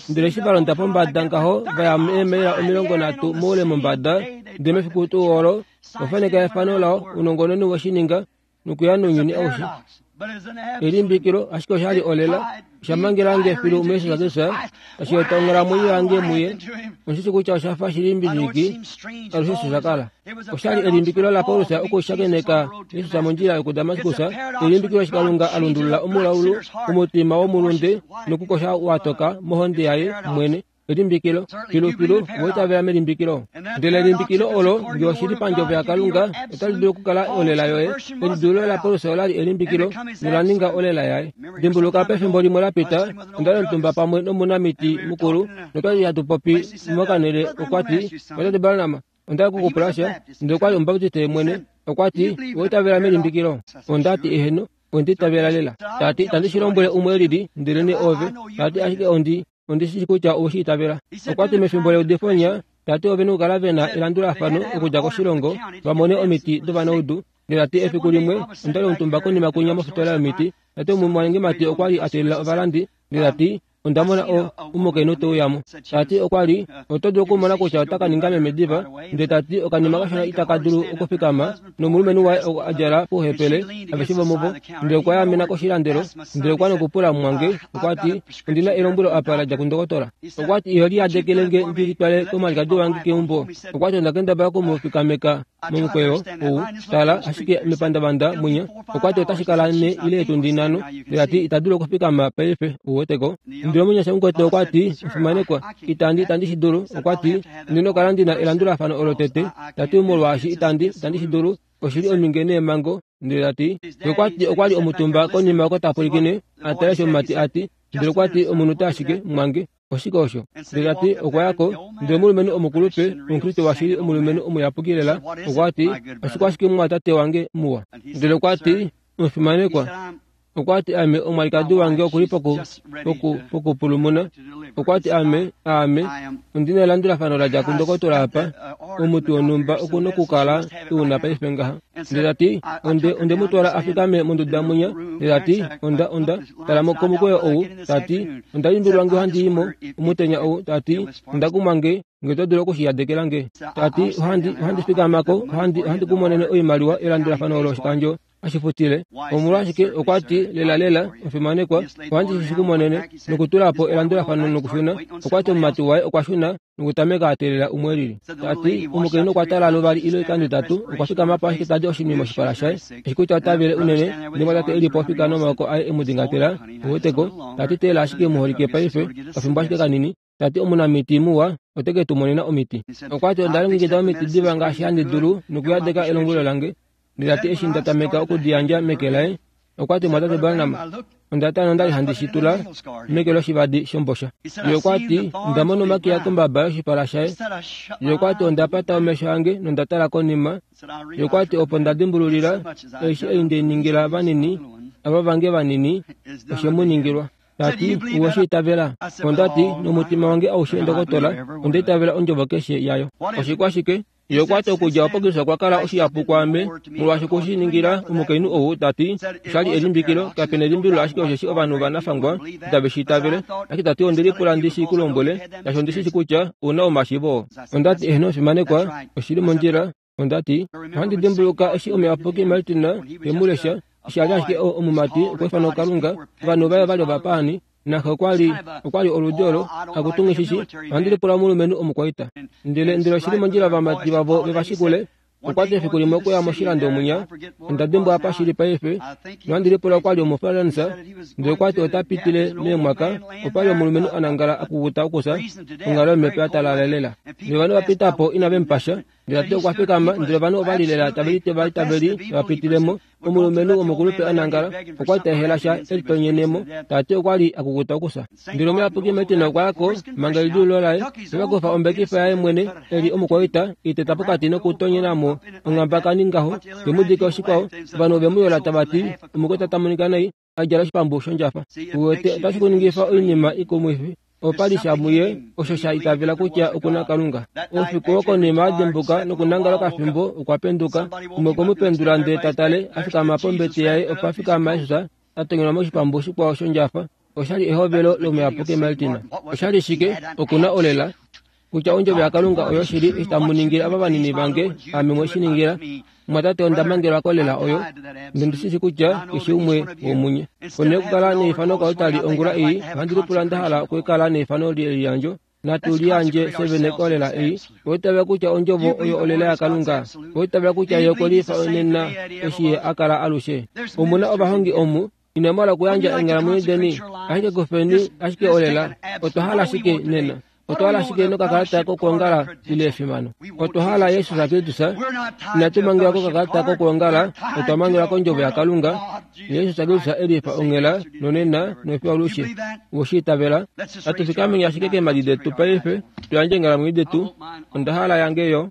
Ndele eshi va londa pombada ngaho vaya eemaila omilongo nhatu moule mombada ndele mefiku tuu olo ofaneka efano lao ounongononi woshininga nokuya nounyuni aushe. Elimbikilo ashike oshali olela oshamangelange filu muJesus Kristus tashi eta onghalamwenyo yange muye. Oshishi kutya oshafa shilimbiliki alushe osho shakala. Oshali elimbikilo laPaulus okushakeneka Jesus mondjila yokuDamaskus. Elimbikilo eshi Kalunga alundulula omulaulu omutima womulunde nokukosha watoka mohonde yaye mwene. Elimbikilo filufilu woitavela melimbikilo. Ndele elimbikilo olo nge oshili pandjovo yaKalunga otali dulu okukala olela yoye. Elidulo laPaulus olali elimbikilo nolaninga olela yaye. Dimbuluka pefimbo limwe lapita ondali omutumba pamwe nomunamiti mukulu notwali hatu popi mokanele okwati watate Branham ondali kukupula sha ndele okwali omubaptiste mwene okwati woitavela melimbikilo. Ondati eheno onditavela lela. Tati itandi shi lombwele umwe elili ndelene ove. Tati ashike ondi ondishishi kutya oushiitavela. Okwati mefimbo leudifonya tati ove nokukala vena elandulafano okudja koshilongo vamone omiti dovanaudu. Ndele tati efiku limwe ondali omutumba konima kunya mofitola yomiti. Tati omumwanengemati okwali atelela ovalandi. Ndele tati ondamona omukainhu teuyamo. Tati okwali oto dulu okumona kutya otaka ninga meme diva. Ndele tati okanima kashona itaka dulu okufikama nomulumenhu waye a djala pouhepele aveshe vomuvo. Ndele okwa yaamena koshilandelo. Ndele okwa nokupula mwange okwati ondina elombwelo apa la dja kundokotola. Okwati iho liyadekelenge ndi litwale komwalikadi wange keumbo. Okwati onda kendabala okumufikameka momukweyo ou tala ashike mepandavanda mwinya. Okwati otashi kala ne ile etundi nhano. Ndele tati ita dulu okufikama paife uweteko. Ndele omunyasha mukwetu okwati ofimanekwa itandi itandi shi dulu. Okwati ndina okukala ndina elandulafano olo tete. Tati molwaashi itandi itandi shi dulu oshili ominge neemhango. Ndele tati okwati okwali omutumba konima oko tapulikine atale eshi omumati ati. Ndele okwati omunute ashike mwange oshike osho. Ndele tati okwayako ndele omulumenhu omukulupe omukriste washili omulumenhu omuyapuki lela okwati oshike ashike mumwatate wange muwa. Ndele okwati omufimanekwa okwati ame omwalikadi wange okuli poku poku pokupulumuna. Okwati ame ame ondina elandulafano la dja kundokotola apa omuti wonhumba okuna okukala una paife ngaha. Ndele tati onde onde mutwala afikame monduda mwinya. Ndele tati onda onda tala komukweyo ou. Tati onda limbilwa nge ohandi imo omutenya ou. Tati onda kumwange nge oto dulu okushiyadekelange. Tati ohandi ohandi fikamako ohandi ohandi kumonene oimaliwa elandulafano olo oshikandjo ashifutile. Omolwashike okwati lela lela ofimanekwa ohandi shi kumonene nokutulapo elandulafano nokushuna. Okwati omumati waye okwashuna nokutameka atelela umwe elili. Tati omukainhu okwa tala luvali ile oikando itatu okwafikama po ashike tadi oshinima moshipala shaye eshi kutya otavele unene. Ndele mwatate elipo ofika nomaoko aye emudingatela uweteko. Tati teela ashike muholike paife okafimbo ashike kanini. Tati omunamiti muwa oteke tumonena omiti. Okwati onda longekida omiti diva ngaashi handi dulu nokuyadeka elombwelo lange. Ndele tati eshi nda tameka okudiyandja meke laye Okwa ti mwatate Branham, onda tala nondali handi shi tula meke loshivadi shombosha. Ye okwa ti onda mona omakiya kombaba yoshipala shaye. Ye okwa ti onda pata omesho ange nonda tala konima. Ye okwa ti opo nda dimbululila eshi ei nde ningila vanini, ava vange vanini, oshe mu ningilwa. Tati uweshi itavela. Onda ti nomutima wange aushe ndokotola, onda itavela ondjovo keshe yayo. Oshikwashike? Ye okwa ti okudja opo Kristus okwa kala oshihapu kwaame molwaashi okushi ningila omukainhu ou, tati oshali elimbikilo, kapena elimbililo ashike osheshi ovanhu vanafangwa itave shi itavele. Ashike tati onde lipula ndi shi ku lombwele, shaashi ondi shi shi kutya ouna omashiivo. Onda ti eheno omufimanekwa, oshili mondjila. Onda ti ohandi dimbuluka eshi omuyapuki Martin ve mu lesha, eshi a li ashike omumati okwa ifanwa kuKalunga, ovanhu vaye vali ovapaani, naxe okwa li okwa li oludi olo akutungishishi. Ohandi lipula omulumenhu omukwaita. Ndele ndele oshili mondjila ovamati vavo vevashikule. Okwa ti efiku limwe okuya moshilando munya, onda dimbwa apa shili paife, nohandi lipula okwa li omuFrance, ndele okwa ti ota pitile meemwaka, opa li omulumenhu a nangala a kukuta okusa, onghalo yomhepo ya talala lela. Ndele ovanhu va pita po inave mu pasha, ndele tati okwa fikama, ndele ovanhu ova li lela tave litevataveli va pitilemo. Omulumenhu womukulupe a nangala, okwa li ta ehela sha e litonyenemo, tati okwa li a kukuta okusa. Ndele omuyapuki Martin okwa ya ko manga elidiululo laye, nokwa kufa ombekifa yaye mwene e li omukwaita, e i teta pokati nokutonyena mo onghabakani ngaho, ve mu dika oshikwao. Ovanhu ove mu yola tava ti omukwaita ta monika nai, a djala oshipambu shondjafa. Uwete, otashi ku ningifa oinima ikumwifi. Opa li sha muye osho sha itavela kutya oku na Kalunga. Oufiku wokonima a dimbuka nokunangala okafimbo, okwa penduka. Umwe okwe mu pendula ndele ta tale, a fikama pombete yaye opa fikama Jesus, a tonyenwa moshipambu shikwao shondjafa. Oshali ehovelo lomuyapuki Martin. Oshali shike? Oku na olela kutya ondjovo yaKalunga oyo shili eshi tamu ningile ava vanini vange, ame mwe shi ningila. Mwatate, onda mangelwa kolela oyo, ndele ndi shi shi kutya keshe umwe womunye. Ponhele yokukala neifano koaltari ongula ei, ohandi lipula nda hala okukala neifano leliyandjo. Natu liyandje fye vene kolela ei. Owa itavela kutya ondjovo oyo olela yaKalunga? Owa itavela kutya ye okwe lifa nena eshi ye a kala alushe? Omu na ovahongi omu, inamu hala okuyandja eenghalamwenyo deni, ashike kufeni ashike olela. Otwa hala shike nena? Otwa hala shike nokakalata kokwoongala ile efimano? Otwa hala Jesus Kristus. Inatu mangelwa kokakalata kokwoongala, otwa mangelwa kondjovo yaKalunga. Jesus Kristus e lifa onghela nonena nofiyo alushe. Oweshi itavela? Natu fikameni ashike keemhadi detu paife, tu yandje eenghalamwenyo detu. Onda hala yange yo.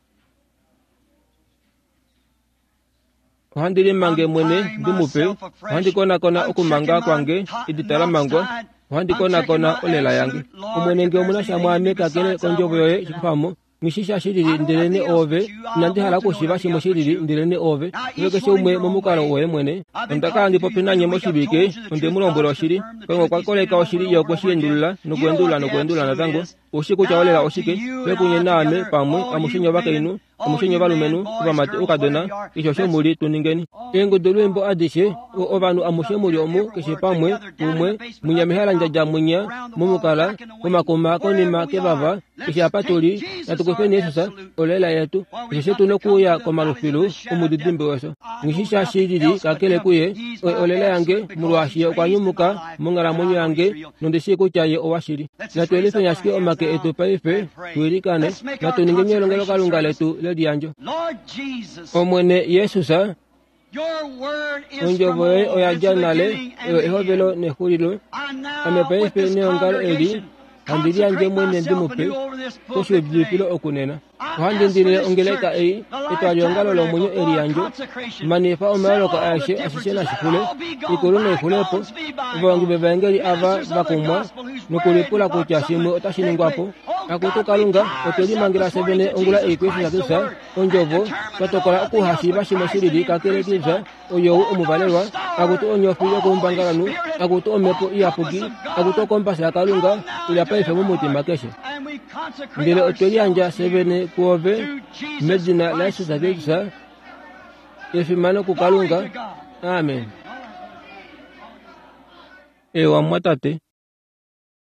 Ohandi limange mwene ndi mu pe, ohandi konakona okumanga kwange edita la mangwa, ohandi konakona olela yange. Omwene nge omuna sha mwaame kakele kondjovo yoye shikufamo, nghi sha shilili ndelene oove, inandi hala okushiiva shimwe shilili ndelene oove. Ove keshe umwe momukalo woye mwene. Onda kala ndi popi nanye moshivike, onde mu lombwela oshili. Kalunga okwa koleka oshili ye okwe shi endulula nokuendulula nokuendulula natango. Oushi kutya olela oshike, fye kunye naame pamwe, amushe nye ovakainhu, amushe nye ovalumenhu, ovamati, oukadona, keshe osho mu li, tu ningeni. Eengudulwiimbo adishe, ovanhu amushe mu li omu, keshe pamwe, umwe, munya mehalandjadja munya, momukala, momakuma, konima, kevava, keshe apa tu li, natu kufeni Jesus, olela yetu, osheshi tu nokuuya komalufilu omudidimbe wefyo. Nghi sha shilili kakele kuye, olela yange, molwaashi ye okwa nyumuka monghalamwenyo yange, nondi shii kutya ye owashili. Natu yelifeni ashike omake etu paife, tu ilikane, natu ningeni elongelokalunga letu leliyandjo. Omwene Jesus, ondjovo yoye oya dja nale, oyo ehovelo nexulilo. Ame paife neongalo eli, handi liyandje mwene ndi mu pe koshiudifilo okunena. Ohandi indilile ongeleka ei, etwaliongalo lomwenyo eliyandjo, manifa omayooloko aeshe ashishe nashixule, ikulu noixulepo, ovahongi vevaengeli ava va kumwa nokulipula kutya shimwe otashi ningwa po. Akutu Kalunga, otwe limangela fye vene ongula ei kuJesus Kristus, ondjovo, twa tokola okuhashiiva shimwe shilili kakele Kristus, oyou omuvalelwa, akutu onyofi yokoumbangalanhu, akutu omhepo iyapuki, akutu okombasa yaKalunga, ila paife momutima keshe. Ndele otwe liyandja fye vene kuove, medina laJesus Kristus, efimano kuKalunga. Amen. Ewa mwatate.